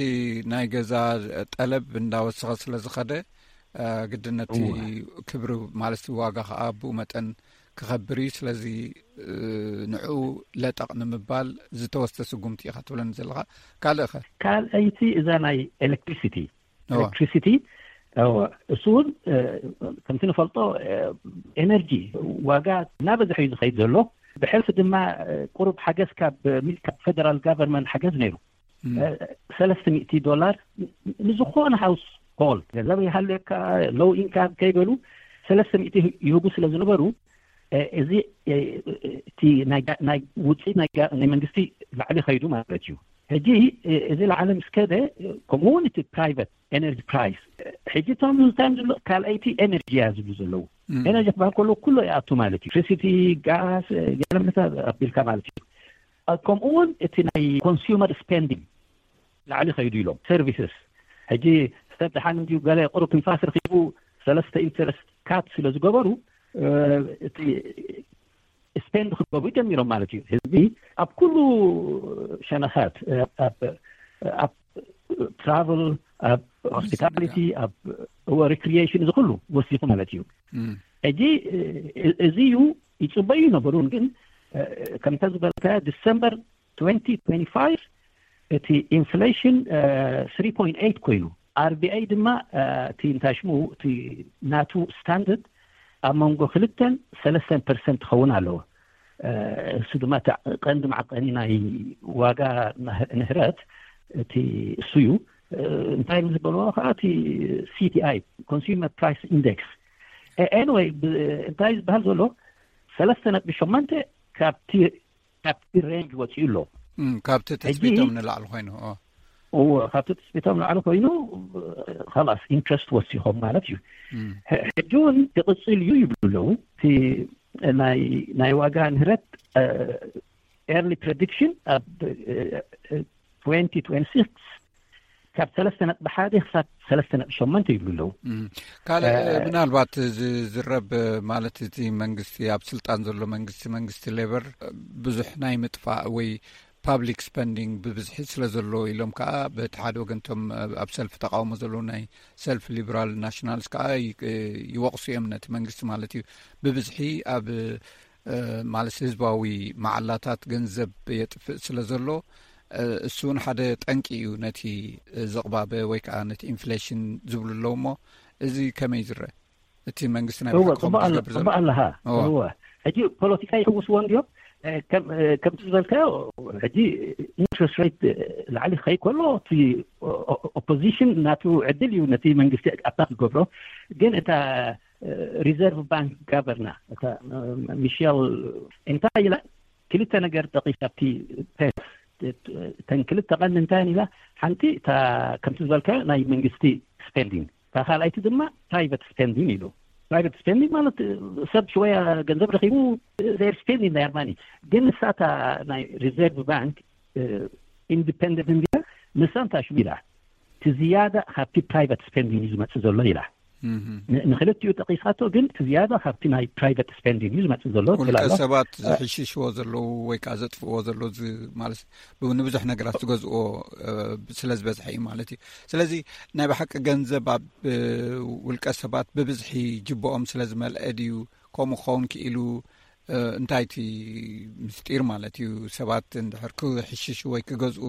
ናይ ገዛ ጠለብ እንዳወሰኸ ስለ ዝኸደ ግድነቲ ክብሪ ማለት ዋጋ ከዓ ብኡ መጠን ክኸብር እዩ። ስለዚ ንዑ ለጠቕ ንምባል ዝተወስተ ስጉምቲ ኢኻ ትብለኒ ዘለኻ። ካልእ ኸ? ካልኣይቲ እዛ ናይ ኤሌክትሪሲቲ ኤሌክትሪሲቲ እሱ እውን ከምቲ ንፈልጦ ኤነርጂ ዋጋ እናበዝሐ እዩ ዝኸይድ ዘሎ። ብሕልፊ ድማ ቁሩብ ሓገዝ ካብ ሚል- ካብ ፌደራል ጋቨርንመንት ሓገዝ ነይሩ። ሰለስተ ሚእቲ ዶላር ንዝኾነ ሃውስ ሆልድ ገንዘብ ይሃልየካ ሎው ኢንካም ከይበሉ ሰለስተ ሚእቲ ይህቡ ስለ ዝነበሩ እዚ እቲ ናይ ውፅኢት ናይ መንግስቲ ላዕሊ ከይዱ ማለት እዩ። ሕጂ እዚ ላዕሊ ምስ ከደ ከምኡ እውን እቲ ፕራይቨት ኤነርጂ ፕራይስ ሕጂ እቶም እንታይ ዝብሉ ካልኣይቲ ኤነርጂ እያ ዝብሉ ዘለዉ። ኤነርጂ ክበሃል ከሎ ኩሎ ይኣቱ ማለት እዩ። ኤሌክትሪሲቲ፣ ጋስ፣ ገለምታ ኣቢልካ ማለት እዩ። ከምኡ እውን እቲ ናይ ኮንሱመር ስፔንዲንግ ላዕሊ ከይዱ ኢሎም ሰርቪስስ ሕጂ ሰብ ደሓን እንዲዩ ገለ ቁሩብ ትንፋስ ረኪቡ ሰለስተ ኢንተረስት ካት ስለ ዝገበሩ እቲ ስፔንድ ክገብሩ ጀሚሮም ማለት እዩ። ህዝቢ ኣብ ኩሉ ሸነኻት ኣብ ትራቨል ኣብ ሆስፒታሊቲ ኣብ ሪክሪሽን እዚ ኩሉ ወሲኹ ማለት እዩ። ሕጂ እዚ እዩ ይፅበዩ ነበሩ ግን ከምተ ዝበልካ ዲሰምበር እቲ ኢንፍሌሽን ኮይኑ ኣርቢኣይ ድማ እቲ እንታይ ሽሙ እቲ ናቱ ስታንደርድ ኣብ መንጎ ክልተን ሰለስተን ፐርሰንት ትኸውን ኣለዎ። እሱ ድማ ቀንዲ መዓቀኒ ናይ ዋጋ ንህረት እቲ እሱ እዩ። እንታይ ዝበልዎ ከዓ እቲ C P I፣ Consumer Price Index። Anyway፣ እንታይ ዝበሃል ዘሎ ሰለስተ ነጥቢ ሸሞንተ ካብቲ ካብቲ ሬንጅ ወፂኡ ኣሎ። ካብቲ ትፅቢቶም ንላዕሊ ኮይኑ። እዎ፣ ካብቲ ትፅቢቶም ንላዕሊ ኮይኑ፣ ላስ ኢንትረስት ወሲኾም ማለት እዩ። ሕጂ እውን ይቕፅል እዩ ይብሉ ኣለዉ። እቲ ናይ ዋጋ ንህረት ኤርሊ ፕሬዲክሽን ኣብ twenty twenty-six ካብ ሰለስተ ነጥቢ ሓደ ክሳብ ሰለስተ ነጥቢ ሸሞንተ ይብሉ ኣለዉ። ካልእ ምናልባት ዝዝረብ ማለት እቲ መንግስቲ፣ ኣብ ስልጣን ዘሎ መንግስቲ፣ መንግስቲ ሌበር ብዙሕ ናይ ምጥፋእ ወይ ፓብሊክ ስፐንዲንግ ብብዝሒ ስለ ዘሎ ኢሎም ከዓ በቲ ሓደ ወገንቶም ኣብ ሰልፊ ተቃውሞ ዘለዉ ናይ ሰልፊ ሊበራል ናሽናልስ ከዓ ይወቕሱ እዮም ነቲ መንግስቲ ማለት እዩ። ብብዝሒ ኣብ ማለት ህዝባዊ መዓላታት ገንዘብ የጥፍእ ስለ ዘሎ እሱ እውን ሓደ ጠንቂ እዩ ነቲ ዝቕባበ ወይ ከዓ ነቲ ኢንፍሌሽን ዝብሉ ኣለዉ። እሞ እዚ ከመይ ዝረአ? እቲ መንግስቲ ናይ ብሓቂ ከምኡ ኣለሃ። ሕጂ ፖለቲካ ይሕውስዎ እንድዮም። ከምቲ ዝበልካዮ፣ ሕጂ ኢንትረስት ሬት ላዕሊ ክኸይ ከሎ እቲ ኦፖዚሽን ናቱ ዕድል እዩ ነቲ መንግስቲ ኣታክ ዝገብሮ። ግን እታ ሪዘርቭ ባንክ ጋቨርና እታ ሚሸል እንታይ ኢላ? ክልተ ነገር ጠቂሳ ኣብቲ ፔስ። እተን ክልተ ቀንዲ እንታይ ኢላ? ሓንቲ እታ ከምቲ ዝበልካዮ ናይ መንግስቲ ስፔንዲንግ፣ እታ ካልኣይቲ ድማ ፕራይቨት ስፔንዲንግ ኢሉ። ፕራይቨት ስፔንዲንግ ማለት ሰብ ሽወያ ገንዘብ ረኪቡ፣ ዜር ስፔንዲንግ ዜር ማኒ። ግን ንሳታ ናይ ሪዘርቭ ባንክ ኢንዲፐንደንት እንዲያ፣ ንሳ እንታይ ሽሙ ኢላ? እቲ ዝያዳ ካብቲ ፕራይቨት ስፔንዲንግ እዩ ዝመፅእ ዘሎ ኢላ። ንክልቲኡ ጠቂሳቶ፣ ግን እቲ ዝያዳ ካብቲ ናይ ፕራይቨት ስፔንዲንግ እዩ ዝመፅእ ዘሎ። ውልቀ ሰባት ዝሕሽሽዎ ዘለዉ ወይ ከዓ ዘጥፍእዎ ዘሎ ማለት ንብዙሕ ነገራት ዝገዝእዎ ስለ ዝበዝሐ እዩ ማለት እዩ። ስለዚ ናይ ብሓቂ ገንዘብ ኣብ ውልቀ ሰባት ብብዝሒ ጅብኦም ስለ ዝመልአ ድዩ ከምኡ ክኸውን ክኢሉ? እንታይ እቲ ምስጢር ማለት እዩ? ሰባት እንድሕር ክሕሽሹ ወይ ክገዝኡ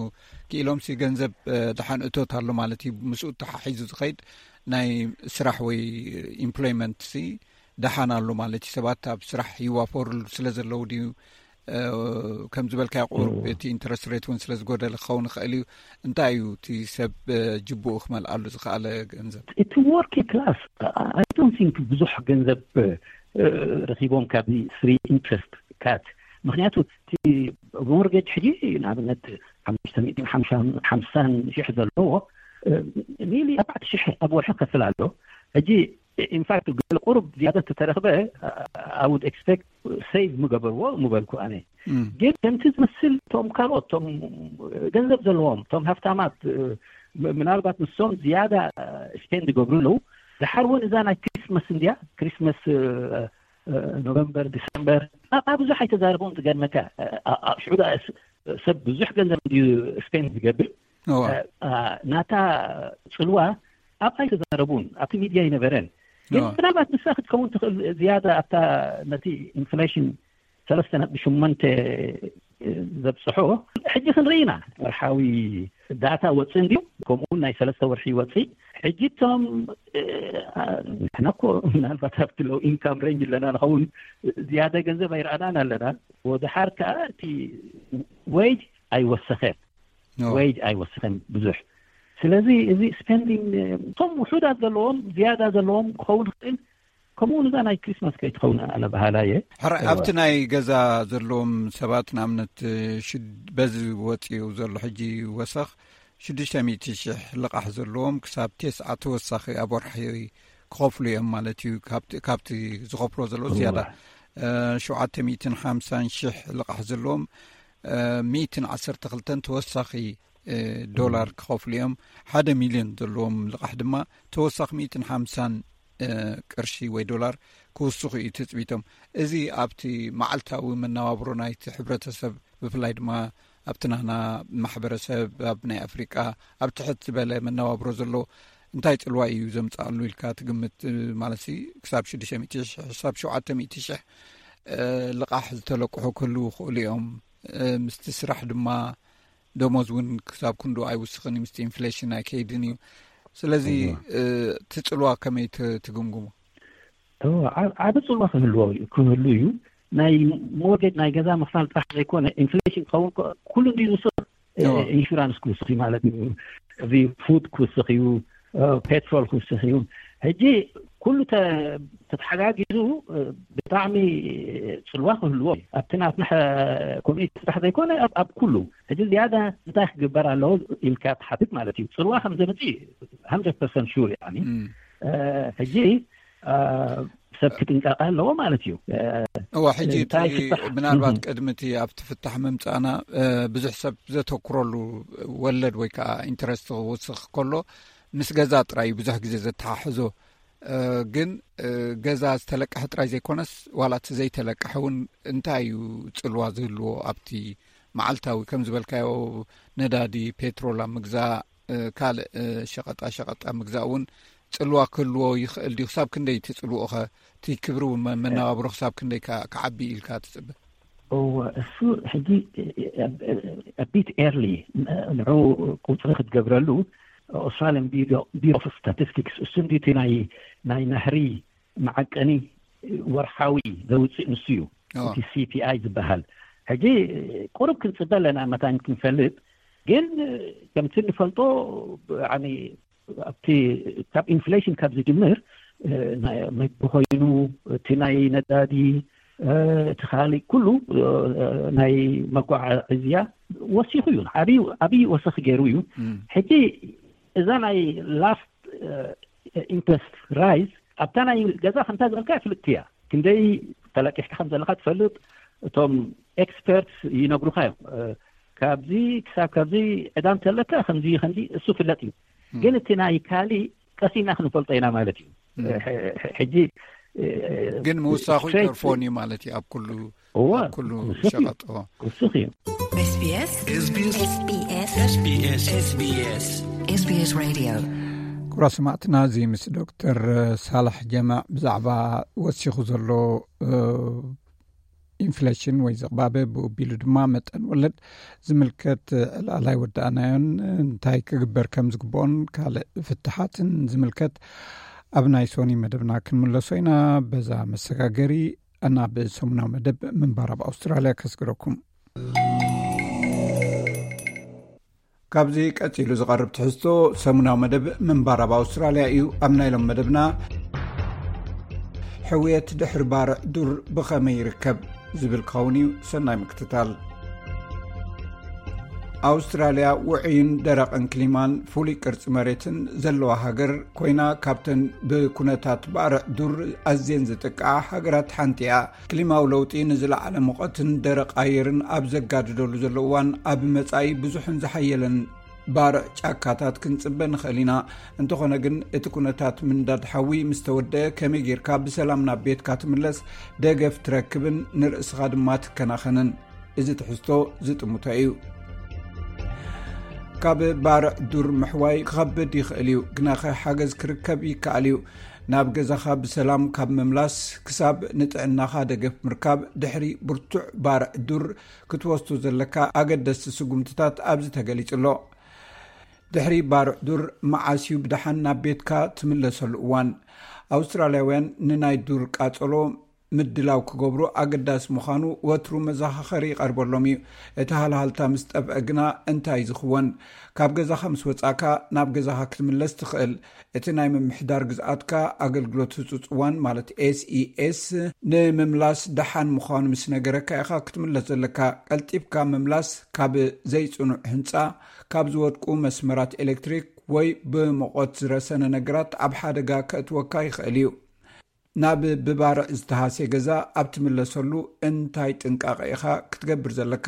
ክኢሎም ሲ ገንዘብ ደሓን እቶት ኣሎ ማለት እዩ። ምስኡ ተሓሒዙ ዝኸይድ ናይ ስራሕ ወይ ኢምፕሎይመንት ሲ ደሓን ኣሎ ማለት እዩ። ሰባት ኣብ ስራሕ ይዋፈሩሉ ስለ ዘለዉ ድዩ? ከም ዝበልካዮ ቁሩብ እቲ ኢንተረስት ሬት እውን ስለ ዝጎደለ ክኸውን ይኽእል እዩ። እንታይ እዩ እቲ ሰብ ጅቡኡ ክመልኣሉ ዝኸኣለ ገንዘብ? እቲ ወርኪንግ ክላስ፣ I don't think ብዙሕ ገንዘብ ረኪቦም ካብዚ ፍሪ ኢንትረስት ካት። ምክንያቱ እቲ ሞርጌጅ ሕጂ ንኣብነት ሓሙሽተ ሚእትን ሓምሳን ሺሕ ዘለዎ ኒሊ ኣርባዕተ ሺሕ ኣብ ወርሒ ከፍል ኣሎ። ሕጂ ኢንፋክት ገለ ቁሩብ ዝያዳ ተተረክበ፣ I would expect ሴቭ ምገበርዎ ምበልኩ ኣነ። ግን ከምቲ ዝመስል እቶም ካልኦት እቶም ገንዘብ ዘለዎም እቶም ሃፍታማት ምናልባት ንሶም ዝያዳ ስፔንድ ይገብሩ ኣለዉ። ድሓር እውን እዛ ናይ ክሪስመስ እንድያ፣ ክሪስመስ ኖቨምበር ዲሰምበር ናብኣ ብዙሕ ኣይተዛረቡን። ዝገርመካ ሽዑ ሰብ ብዙሕ ገንዘብ እንድዩ ስፔንድ ዝገብር። ናታ ፅልዋ ኣብኣ ኣይተዛረቡን፣ ኣብቲ ሚድያ ኣይነበረን። ግን ምናልባት ንሳ ክትከውን ትኽእል ዝያዳ ኣብታ ነቲ ኢንፍሌሽን ሰለስተ ነጥቢ ሸሞንተ ዘብፅሖ። ሕጂ ክንርኢ ኢና፣ ወርሓዊ ዳታ ወፅእ እንድዩ፣ ከምኡውን ናይ ሰለስተ ወርሒ ወፅእ። ሕጂ እቶም ንሕና እኮ ምናልባት ኣብቲ ሎው ኢንካም ሬንጅ ኣለና ንኸውን፣ ዝያዳ ገንዘብ ኣይረኣናን ኣለና። ወድሓር ከዓ እቲ ዌጅ ኣይወሰኸን፣ ዌጅ ኣይወሰኸን ብዙሕ። ስለዚ እዚ ስፔንዲንግ እቶም ውሑዳት ዘለዎም ዝያዳ ዘለዎም ክኸውን ይኽእል። ከምኡ እውን እዛ ናይ ክሪስማስ ከይትኸውን ኣነ በሃላይ እየ። ሕራይ ኣብቲ ናይ ገዛ ዘለዎም ሰባት ንኣብነት በዚ ወፂኡ ዘሎ ሕጂ ወሰኽ ሽዱሽተ ሚእቲ ሽሕ ልቓሕ ዘለዎም ክሳብ ቴስዓ ተወሳኺ ኣብ ወርሒ ክኸፍሉ እዮም ማለት እዩ። ካብቲ ዝኸፍሎ ዘለዉ ዝያዳ ሸውዓተ ሚእትን ሓምሳን ሽሕ ልቓሕ ዘለዎም ሚእትን ዓሰርተ ክልተን ተወሳኺ ዶላር ክኸፍሉ እዮም። ሓደ ሚልዮን ዘለዎም ልቓሕ ድማ ተወሳኺ ሚእትን ሓምሳን ቅርሺ ወይ ዶላር ክውስኹ እዩ ትፅቢቶም። እዚ ኣብቲ መዓልታዊ መነባብሮ ናይቲ ሕብረተሰብ፣ ብፍላይ ድማ ኣብቲ ናና ማሕበረሰብ ኣብ ናይ ኣፍሪቃ ኣብ ትሕት ዝበለ መነባብሮ ዘሎ እንታይ ፅልዋ እዩ ዘምፅኣሉ ኢልካ ትግምት? ማለት ክሳብ ሽዱሽተ ሚእቲ ሽሕ ክሳብ ሸውዓተ ሚእቲ ሽሕ ልቓሕ ዝተለቅሑ ክህልዉ ይኽእሉ እዮም። ምስቲ ስራሕ ድማ ደሞዝ እውን ክሳብ ክንዱ ኣይውስኽን እዩ፣ ምስቲ ኢንፍሌሽን ኣይከይድን እዩ። ስለዚ እቲ ፅልዋ ከመይ ትግምግሞ? ዓብ ዓብ ጽልዋ ክህልዎ ክህሉ እዩ። ናይ ሞርጌጅ ናይ ገዛ ምኽፋል ጥራሕ ዘይኮነ ኢንፍሌሽን ክኸውን ኩሉ እንዲ ዝውስኽ ኢንሹራንስ ክውስኽ እዩ ማለት እዩ። እዚ ፉድ ክውስኽ እዩ፣ ፔትሮል ክውስኽ እዩ። ሕጂ ኩሉ ተተሓጋጊዙ ብጣዕሚ ጽልዋ ክህልዎ ኣብቲ ናትና ኮሚኒቲ ጥራሕ ዘይኮነ ኣብ ኩሉ። ሕጂ ዝያዳ እንታይ ክግበር ኣለዎ ኢልካ ትሓትት ማለት እዩ። ጽልዋ ከም ዘምጽእ ሓምሳ ፐርሰንት ሹር። ሕጂ ሰብ ክጥንቀቕ ኣለዎ ማለት እዩ። እዋ ሕጂ ምናልባት ቅድሚ እቲ ኣብቲ ፍታሕ ምምፃእና ብዙሕ ሰብ ዘተኩረሉ ወለድ ወይ ከዓ ኢንተረስት ክውስኽ ከሎ ምስ ገዛ ጥራይ ብዙሕ ግዜ ዘተሓሕዞ። ግን ገዛ ዝተለቀሐ ጥራይ ዘይኮነስ ዋላ እቲ ዘይተለቀሐ እውን እንታይ እዩ ጽልዋ ዝህልዎ ኣብቲ መዓልታዊ ከም ዝበልካዮ ነዳዲ፣ ፔትሮል ኣብ ምግዛእ፣ ካልእ ሸቐጣ ሸቐጥ ኣብ ምግዛእ እውን ጽልዋ ክህልዎ ይኽእል ድዩ? ክሳብ ክንደይ ትጽልውኦ ኸ? እቲ ክብሪ መናባብሮ ክሳብ ክንደይ ክዓቢ ኢልካ ትጽበ? እሱ ሕጂ ቢት ኤርሊ ንዑ ቁፅሪ ክትገብረሉ ኣውስትራሊያን ቢሮ ኦፍ ስታቲስቲክስ እሱ እንዲ ናይ ናይ ናህሪ መዓቀኒ ወርሓዊ ዘውፅእ ንሱ እዩ። እቲ ሲፒኣይ ዝበሃል ሕጂ ቁሩብ ክንፅበ ኣለና መታን ክንፈልጥ። ግን ከምቲ ንፈልጦ ኣብቲ ካብ ኢንፍሌሽን ካብ ዝጅምር መግቢ ኮይኑ እቲ ናይ ነዳዲ እቲ ካሊእ ኩሉ ናይ መጓዓዝያ ወሲኹ እዩ። ዓብዪ ወሰኺ ገይሩ እዩ። ሕጂ እዛ ናይ ላስት ኢንትረስት ራይዝ ኣብታ ናይ ገዛ ከምታ ዝበልካ ፍልጥቲ እያ። ክንደይ ተለቂሕካ ከም ዘለካ ትፈልጥ። እቶም ኤክስፐርትስ ይነግሩካ እዮም። ካብዚ ክሳብ ካብዚ ዕዳ እንተለካ ከምዚ ከምዚ እሱ ፍለጥ እዩ። ግን እቲ ናይ ካሊእ ቀሲና ክንፈልጦ ኢና ማለት እዩ። ሕጂ ግን ምውሳኹ ይተርፎን እዩ ማለት እዩ ኣብ ኩሉ እዋ ኩሉ ክውስኽ እዩ። ሸቐጥ። ክውስኽ እዩ። SBS SBS SBS SBS SBS Radio. ክቡራት ሰማዕትና፣ እዚ ምስ ዶክተር ሳላሕ ጀማዕ ብዛዕባ ወሲኹ ዘሎ ኢንፍሌሽን ወይ ዝቕባበ፣ ብኡ ኣቢሉ ድማ መጠን ወለድ ዝምልከት ዕላል ኣይወዳእናዮን። እንታይ ክግበር ከም ዝግብኦን ካልእ ፍትሓትን ዝምልከት ኣብ ናይ ሶኒ መደብና ክንምለሶ ኢና። በዛ መሰጋገሪ ናብ ሰሙናዊ መደብ ምንባር ኣብ ኣውስትራልያ ከስግረኩም። ካብዚ ቀጺሉ ዝቐርብ ትሕዝቶ ሰሙናዊ መደብ ምንባር ኣብ ኣውስትራልያ እዩ። ኣብ ናይ ሎም መደብና ሕውየት ድሕሪ ባርዕ ዱር ብኸመይ ይርከብ ዝብል ክኸውን እዩ። ሰናይ ምክትታል። ኣውስትራልያ ውዑይን ደረቕን ክሊማን ፍሉይ ቅርጺ መሬትን ዘለዋ ሃገር ኮይና፣ ካብተን ብኩነታት ባርዕ ዱር ኣዝየን ዝጥቅዓ ሃገራት ሓንቲ እያ። ክሊማዊ ለውጢ ንዝለዓለ ሙቐትን ደረቕ ኣየርን ኣብ ዘጋድደሉ ዘሎ እዋን፣ ኣብ መጻኢ ብዙሕን ዝሓየለን ባርዕ ጫካታት ክንጽበ ንኽእል ኢና። እንተኾነ ግን፣ እቲ ኩነታት ምንዳድ ሓዊ ምስ ተወደአ፣ ከመይ ጌርካ ብሰላም ናብ ቤትካ ትምለስ፣ ደገፍ ትረክብን ንርእስኻ ድማ ትከናኸንን? እዚ ትሕዝቶ ዝጥምቶ እዩ። ካብ ባርዕ ዱር ምሕዋይ ክኸብድ ይኽእል እዩ፣ ግናኸ ሓገዝ ክርከብ ይከኣል እዩ። ናብ ገዛኻ ብሰላም ካብ ምምላስ ክሳብ ንጥዕናኻ ደገፍ ምርካብ፣ ድሕሪ ብርቱዕ ባርዕ ዱር ክትወስዶ ዘለካ ኣገደስቲ ስጉምትታት ኣብዚ ተገሊጹ ኣሎ። ድሕሪ ባርዕ ዱር መዓስ እዩ ብደሓን ናብ ቤትካ ትምለሰሉ እዋን? ኣውስትራልያውያን ንናይ ዱር ቃጸሎ ምድላው ክገብሩ ኣገዳሲ ምዃኑ ወትሩ መዘኻኸሪ ይቐርበሎም እዩ። እቲ ሃልሃልታ ምስ ጠፍአ ግና እንታይ ዝኽወን? ካብ ገዛኻ ምስ ወጻእካ ናብ ገዛኻ ክትምለስ ትኽእል። እቲ ናይ ምምሕዳር ግዝኣትካ ኣገልግሎት ህጹጽ እዋን ማለት ኤስኢኤስ ንምምላስ ደሓን ምዃኑ ምስ ነገረካ ኢኻ ክትምለስ ዘለካ። ቀልጢፍካ ምምላስ ካብ ዘይጽኑዕ ህንጻ፣ ካብ ዝወድቁ መስመራት ኤሌክትሪክ ወይ ብሙቐት ዝረሰነ ነገራት ኣብ ሓደጋ ከእትወካ ይኽእል እዩ። ናብ ብባርዕ ዝተሃስየ ገዛ ኣብ ትምለሰሉ እንታይ ጥንቃቐ ኢኻ ክትገብር ዘለካ?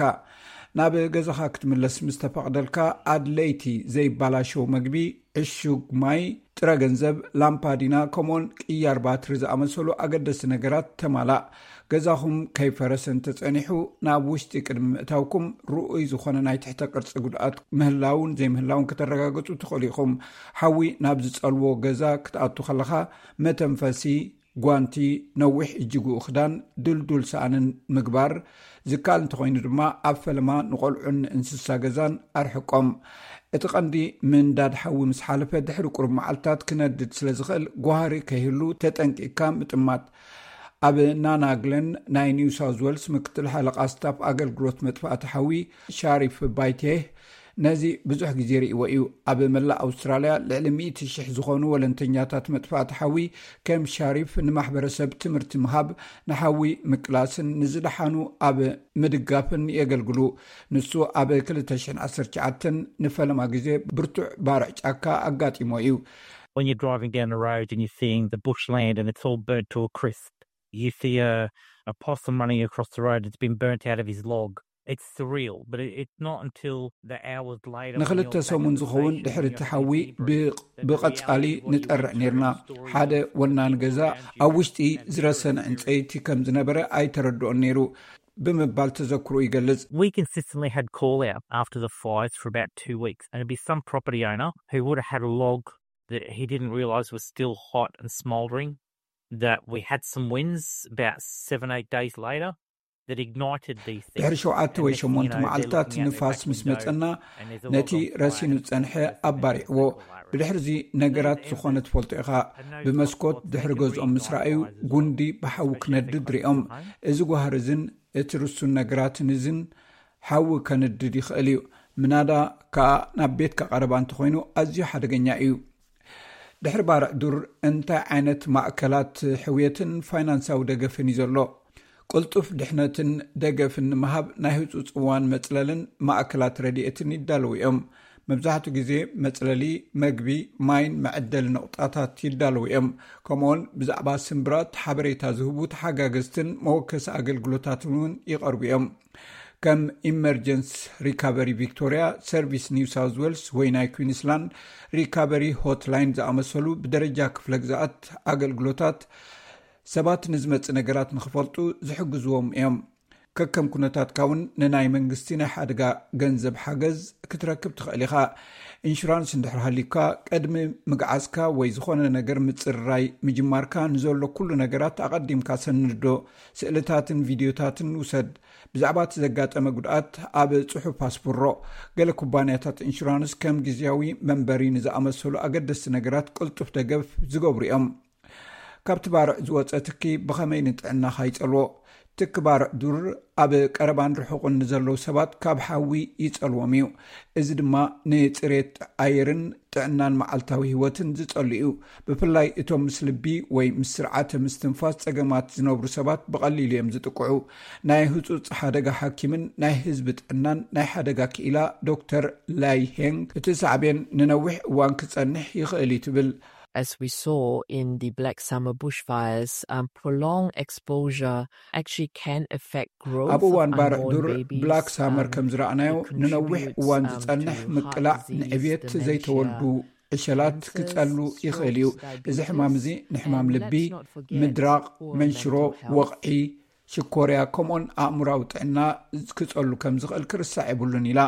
ናብ ገዛኻ ክትምለስ ምስ ተፈቕደልካ፣ ኣድለይቲ ዘይባላሸው መግቢ፣ ዕሹግ ማይ፣ ጥረ ገንዘብ፣ ላምፓዲና፣ ከምኡውን ቅያር ባትሪ ዝኣመሰሉ ኣገደስቲ ነገራት ተማላእ። ገዛኹም ከይፈረሰ እንተጸኒሑ፣ ናብ ውሽጢ ቅድሚ ምእታውኩም ርኡይ ዝኾነ ናይ ትሕተ ቅርጺ ጉድኣት ምህላውን ዘይምህላውን ከተረጋግጹ ትኽእሉ ኢኹም። ሓዊ ናብ ዝጸልዎ ገዛ ክትኣቱ ከለኻ፣ መተንፈሲ፣ ጓንቲ፣ ነዊሕ እጅግኡ ክዳን፣ ድልዱል ሰኣንን ምግባር፣ ዝካል እንተኾይኑ ድማ ኣብ ፈለማ ንቆልዑን እንስሳ ገዛን ኣርሕቆም። እቲ ቀንዲ ምንዳድ ሓዊ ምስ ሓለፈ ድሕሪ ቁሩብ መዓልታት ክነድድ ስለ ዝኽእል ጓህሪ ከይህሉ ተጠንቂቕካ ምጥማት። ኣብ ናናግለን ናይ ኒው ሳውዝ ዌልስ ምክትል ሓለቓ ስታፍ ኣገልግሎት መጥፋእቲ ሓዊ ሻሪፍ ባይቴህ ነዚ ብዙሕ ግዜ ርእይዎ እዩ። ኣብ መላእ ኣውስትራልያ ልዕሊ ሚእቲ ሽሕ ዝኾኑ ወለንተኛታት መጥፋእቲ ሓዊ ከም ሻሪፍ ንማሕበረሰብ ትምህርቲ ምሃብ፣ ንሓዊ ምቅላስን ንዝደሓኑ ኣብ ምድጋፍን የገልግሉ። ንሱ ኣብ ክልተ ሽሕን ዓሰርተ ትሽዓተን ንፈለማ ግዜ ብርቱዕ ባርዕ ጫካ ኣጋጢሞ እዩ። When you're driving down the road and you're seeing the bushland and it's all burnt to a crisp, you see a, a possum running across the road that's been burnt out of his log. It's surreal, but it, it's not until the hours later when ንክልተ you're back ሰሙን at the ዝኸውን station ድሕሪ and እቲ you're ሓዊ hearing the zebra, that the ብቐጻሊ reality is what you ንጠርዕ went through ነርና። in the story ሓደ was ወናኒ still ገዛ around you. ኣብ ውሽጢ ዝረሰነ ዕንጸይቲ ከም ዝነበረ ኣይተረድኦን ነይሩ ብምባል ተዘክሩ ይገልጽ። We consistently had call out after the fires for about two weeks, and it'd be some property owner who would have had a log that he didn't realise was still hot and smouldering. That we had some winds about seven, eight days later that ignited these things. ድሕሪ ሸውዓተ ወይ ሸሞንተ መዓልታት ንፋስ ምስ መጸና ነቲ ረሲኑ ዝጸንሐ ኣባሪዕዎ። ብድሕርዚ ነገራት ዝኾነ ትፈልጦ ኢኻ። ብመስኮት ድሕሪ ገዝኦም ምስ ረኣዩ ጉንዲ ብሓዊ ክነድድ ሪኦም። እዚ ጓህሪ እዝን እቲ ርሱን ነገራትን እዝን ሓዊ ከንድድ ይኽእል እዩ። ምናዳ ከኣ ናብ ቤትካ ቀረባ እንተኾይኑ ኣዝዩ ሓደገኛ እዩ። ድሕሪ ባርዕ ዱር እንታይ ዓይነት ማእከላት ሕውየትን ፋይናንሳዊ ደገፍን እዩ ዘሎ? ቅልጡፍ ድሕነትን ደገፍን ንምሃብ ናይ ህጹጽ እዋን መጽለልን ማእከላት ረድኤትን ይዳለዉ እዮም። መብዛሕትኡ ግዜ መጽለሊ፣ መግቢ፣ ማይን መዐደሊ ነቑጣታት ይዳለዉ እዮም። ከምኡውን ብዛዕባ ስምብራት ሓበሬታ ዝህቡ ተሓጋገዝትን መወከሲ ኣገልግሎታትን እውን ይቐርቡ እዮም። ከም ኢመርጀንስ ሪካቨሪ ቪክቶሪያ፣ ሰርቪስ ኒው ሳውዝ ዌልስ ወይ ናይ ኩዊንስላንድ ሪካቨሪ ሆትላይን ዝኣመሰሉ ብደረጃ ክፍለ ግዛኣት ኣገልግሎታት ሰባት ንዝመጽእ ነገራት ንኽፈልጡ ዝሕግዝዎም እዮም። ከከም ኩነታትካ እውን ንናይ መንግስቲ ናይ ሓደጋ ገንዘብ ሓገዝ ክትረክብ ትኽእል ኢኻ። ኢንሹራንስ እንድሕር ሃልዩካ፣ ቅድሚ ምግዓዝካ ወይ ዝኾነ ነገር ምጽርራይ ምጅማርካ ንዘሎ ኩሉ ነገራት ኣቐዲምካ ሰንዶ። ስእልታትን ቪድዮታትን ውሰድ። ብዛዕባ እቲ ዘጋጠመ ጉድኣት ኣብ ጽሑፍ ኣስፍሮ። ገለ ኩባንያታት ኢንሹራንስ ከም ግዝያዊ መንበሪ ንዝኣመሰሉ ኣገደስቲ ነገራት ቅልጡፍ ደገፍ ዝገብሩ እዮም። ካብቲ ባርዕ ዝወጸ ትኪ ብኸመይ ንጥዕናኻ ይጸልዎ? ትኪ ባርዕ ዱር ኣብ ቀረባን ርሑቕን ንዘለዉ ሰባት ካብ ሓዊ ይጸልዎም እዩ። እዚ ድማ ንጽሬት ኣየርን ጥዕናን መዓልታዊ ህይወትን ዝጸሉ እዩ። ብፍላይ እቶም ምስ ልቢ ወይ ምስ ስርዓተ ምስትንፋስ ጸገማት ዝነብሩ ሰባት ብቐሊሉ እዮም ዝጥቅዑ። ናይ ህጹጽ ሓደጋ ሓኪምን ናይ ህዝቢ ጥዕናን ናይ ሓደጋ ክኢላ ዶክተር ላይ ሄንግ፣ እቲ ሳዕቤን ንነዊሕ እዋን ክጸንሕ ይኽእል እዩ ትብል። As we saw in the Black Summer bushfires, um, prolonged exposure actually can affect growth ኣብ እዋን ባርዕ ዱር ብላክ ሳመር ከም ዝረኣናዮ ንነዊሕ እዋን ዝጸንሕ ምቅላዕ ንዕብየት ዘይተወልዱ ዕሸላት ክጸሉ ይኽእል እዩ። እዚ ሕማም እዚ ንሕማም ልቢ፣ ምድራቕ፣ መንሽሮ፣ ወቕዒ፣ ሽኮርያ ከምኡን ኣእምራዊ ጥዕና ክጸሉ ከም ዝኽእል ክርሳዕ የብሉን ኢላ።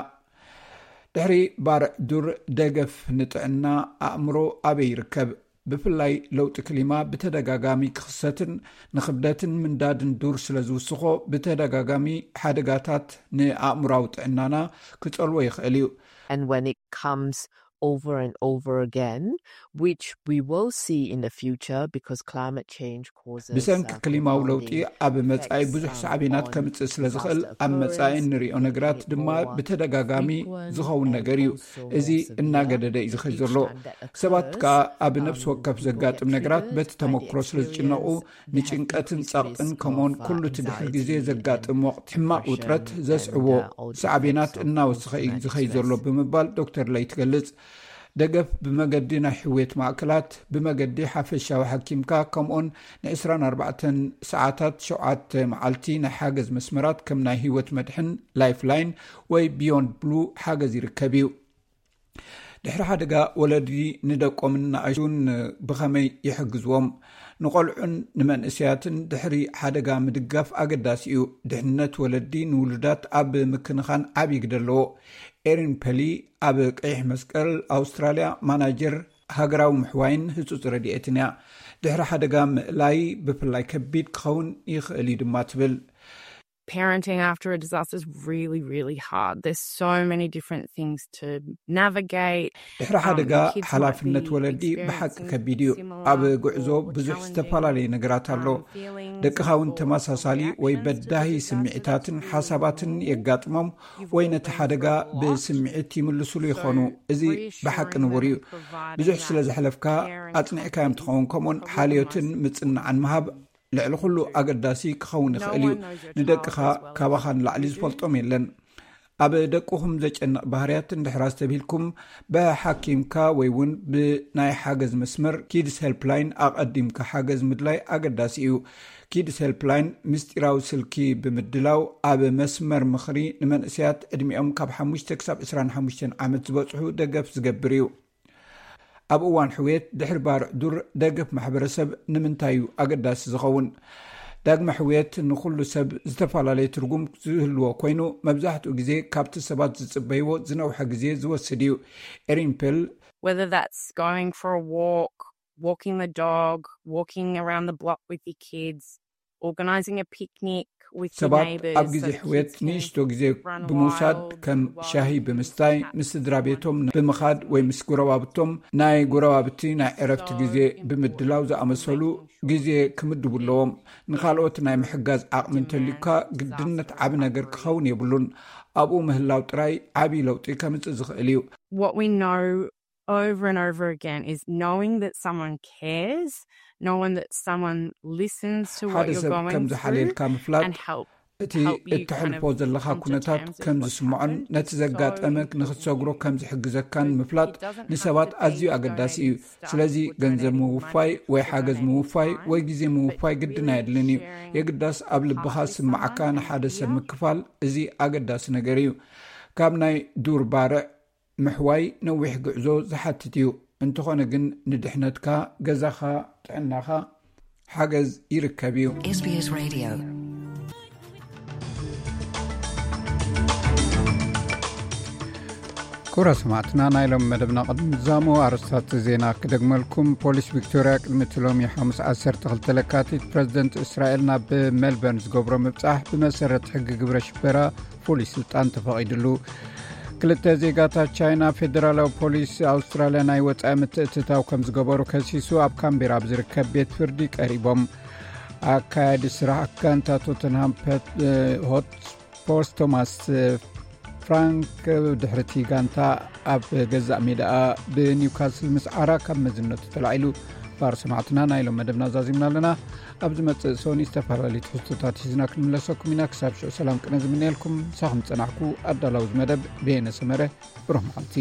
ድሕሪ ባርዕ ዱር ደገፍ ንጥዕና ኣእምሮ ኣበይ ይርከብ? ብፍላይ ለውጢ ክሊማ ብተደጋጋሚ ክኽሰትን ንኽብደትን ምንዳድን ዱር ስለ ዝውስኾ ብተደጋጋሚ ሓደጋታት ንኣእምራዊ ጥዕናና ክጸልዎ ይኽእል እዩ። And when it comes over and over again, which we will see in the future because climate change causes ብሰንኪ ክሊማዊ ለውጢ ኣብ መጻኢ ብዙሕ ሳዕቤናት ከምጽእ ስለ ዝኽእል ኣብ መጻኢ እንሪኦ ነገራት ድማ ብተደጋጋሚ ዝኸውን ነገር እዩ። እዚ እናገደደ እዩ ዝኸይ ዘሎ። ሰባት ከኣ ኣብ ነፍሲ ወከፍ ዘጋጥም ነገራት በቲ ተመክሮ ስለ ዝጭነቑ ንጭንቀትን ጸቕጥን ከምኡን ኩሉ እቲ ድሕሪ ግዜ ዘጋጥም ወቕቲ ሕማቕ ውጥረት ዘስዕቦ ሳዕቤናት እናወሰኸ እዩ ዝኸይ ዘሎ ብምባል ዶክተር ለይ ትገልጽ። ደገፍ ብመገዲ ናይ ሕውየት ማእከላት፣ ብመገዲ ሓፈሻዊ ሓኪምካ ከምኡን ን24 ሰዓታት ሸውዓተ መዓልቲ ናይ ሓገዝ መስመራት ከም ናይ ህይወት መድሕን ላይፍላይን ወይ ቢዮንድ ብሉ ሓገዝ ይርከብ እዩ። ድሕሪ ሓደጋ ወለዲ ንደቆምን ንኣሽቱን ብኸመይ ይሕግዝዎም? ንቆልዑን ንመንእሰያትን ድሕሪ ሓደጋ ምድጋፍ ኣገዳሲ እዩ። ድሕነት ወለዲ ንውሉዳት ኣብ ምክንኻን ዓብዪ ግደ ኣለዎ። ኤሪን ፐሊ ኣብ ቀይሕ መስቀል ኣውስትራልያ ማናጀር ሃገራዊ ምሕዋይን ህጹጽ ረድኤትን እያ። ድሕሪ ሓደጋ ምእላይ ብፍላይ ከቢድ ክኸውን ይኽእል እዩ ድማ ትብል። Parenting after a disaster is really, really hard. There's so many different things to navigate. ድሕሪ ሓደጋ ሓላፍነት ወለዲ ብሓቂ ከቢድ እዩ። ኣብ ጉዕዞ ብዙሕ ዝተፈላለየ ነገራት ኣሎ። ደቅኻ እውን ተመሳሳሊ ወይ በዳሂ ስምዒታትን ሓሳባትን የጋጥሞም ወይ ነቲ ሓደጋ ብስምዒት ይምልስሉ ይኾኑ። እዚ ብሓቂ ንቡር እዩ። ብዙሕ ስለ ዘሕለፍካ ኣጽኒዕካዮም ትኸውን። ከምኡውን ሓልዮትን ምጽንናዕን ምሃብ ልዕሊ ኩሉ ኣገዳሲ ክኸውን ይኽእል እዩ። ንደቅኻ ካባኻ ንላዕሊ ዝፈልጦም የለን። ኣብ ደቅኹም ዘጨንቕ ባህርያት እንድሕር ኣስተብሂልኩም፣ ብሓኪምካ ወይ እውን ብናይ ሓገዝ መስመር ኪድስ ሄልፕላይን ኣቐዲምካ ሓገዝ ምድላይ ኣገዳሲ እዩ። ኪድስ ሄልፕላይን ምስጢራዊ ስልኪ ብምድላው ኣብ መስመር ምኽሪ ንመንእሰያት ዕድሚኦም ካብ ሓሙሽተ ክሳብ ዕስራን ሓሙሽተን ዓመት ዝበጽሑ ደገፍ ዝገብር እዩ። ኣብ እዋን ሕውየት ድሕሪ ባርዕ ዱር ደገፍ ማሕበረሰብ ንምንታይ እዩ ኣገዳሲ ዝኸውን? ዳግመ ሕውየት ንኹሉ ሰብ ዝተፈላለየ ትርጉም ዝህልዎ ኮይኑ፣ መብዛሕትኡ ግዜ ካብቲ ሰባት ዝጽበይዎ ዝነውሐ ግዜ ዝወስድ እዩ። ኤሪን ፔል Whether that's going for a walk, walking the dog, walking around the block with your kids, organising a picnic with your ሰባት neighbours ኣብ ግዜ so the ሕውየት kids can ንእሽቶ ግዜ run ብምውሳድ wild, ከም wild ሻሂ and ብምስታይ chat ምስ to ስድራ one ቤቶም another. ብምኻድ ወይ ምስ ጎረባብቶም ናይ ጎረባብቲ ናይ ዕረፍቲ ግዜ ብምድላው ዝኣመሰሉ ግዜ ክምድቡ ኣለዎም። ንኻልኦት ናይ ምሕጋዝ ዓቕሚ እንተልዩካ ግድነት ዓቢ ነገር ክኸውን የብሉን። ኣብኡ ምህላው ጥራይ ዓቢ ለውጢ ከምጽእ ዝኽእል እዩ። What we know over and over again is knowing that someone cares, knowing that someone listens to what ሓደ you're ሰብ going ከም through ዝሓልየልካ ምፍላጥ and help እቲ help you kind እተሕልፎ of ዘለኻ come to ኩነታት terms with ከም what's ዝስምዖን happened. ነቲ ዘጋጠመ ንኽትሰግሮ ከም ዝሕግዘካን ምፍላጥ ንሰባት ኣዝዩ ኣገዳሲ እዩ። ስለዚ ገንዘብ ምውፋይ ወይ ሓገዝ ምውፋይ ወይ ግዜ ምውፋይ ግድን ኣየድልን እዩ። የግዳስ ኣብ ልብኻ ስምዓካ ንሓደ ሰብ ምክፋል እዚ ኣገዳሲ ነገር እዩ። ካብ ናይ ዱር ባርዕ ምሕዋይ ነዊሕ ጉዕዞ ዝሓትት እዩ። እንተኾነ ግን ንድሕነትካ፣ ገዛኻ፣ ጥዕናኻ ሓገዝ ይርከብ እዩ። SBS Radio. ክቡራት ሰማዕትና፣ ናይ ሎም መደብና ቅድሚ ምዛሙ ኣርስታት ዜና ክደግመልኩም። ፖሊስ ቪክቶርያ ቅድሚ እቲ ሎሚ ሓሙስ ዓሰርተ ክልተ ለካቲት ፕረዚደንት እስራኤል ናብ ሜልበርን ዝገብሮ ምብጻሕ ብመሰረት ሕጊ ግብረ ሽበራ ፍሉይ ስልጣን ተፈቒድሉ። ክልተ ዜጋታት ቻይና ፌደራላዊ ፖሊስ ኣውስትራልያ ናይ ወጻኢ ምትእትታው ከም ዝገበሩ ከሲሱ ኣብ ካምቤራ ኣብ ዝርከብ ቤት ፍርዲ ቀሪቦም። ኣካያዲ ስራሕ ጋንታ ቶተንሃም ሆትስፐርስ ቶማስ ፍራንክ ድሕርቲ ጋንታ ኣብ ገዛእ ሜዳኣ ብኒውካስል ምስ ዓራ ካብ መዝነቱ ተላዒሉ። ባር ሰማዕትና ናይ ሎም መደብና ዛዚምና ኣለና። ኣብ ዝመጽእ ሶኒ ዝተፈላለዩ ትሕዝቶታት ሒዝና ክንምለሰኩም ኢና። ክሳብ ሽዑ ሰላም ቅነ ዝምነየልኩም ሳኹም ጸናሕኩ ኣዳላዊ ዝመደብ ብየነ ሰመረ። ብሩህ መዓልቲ።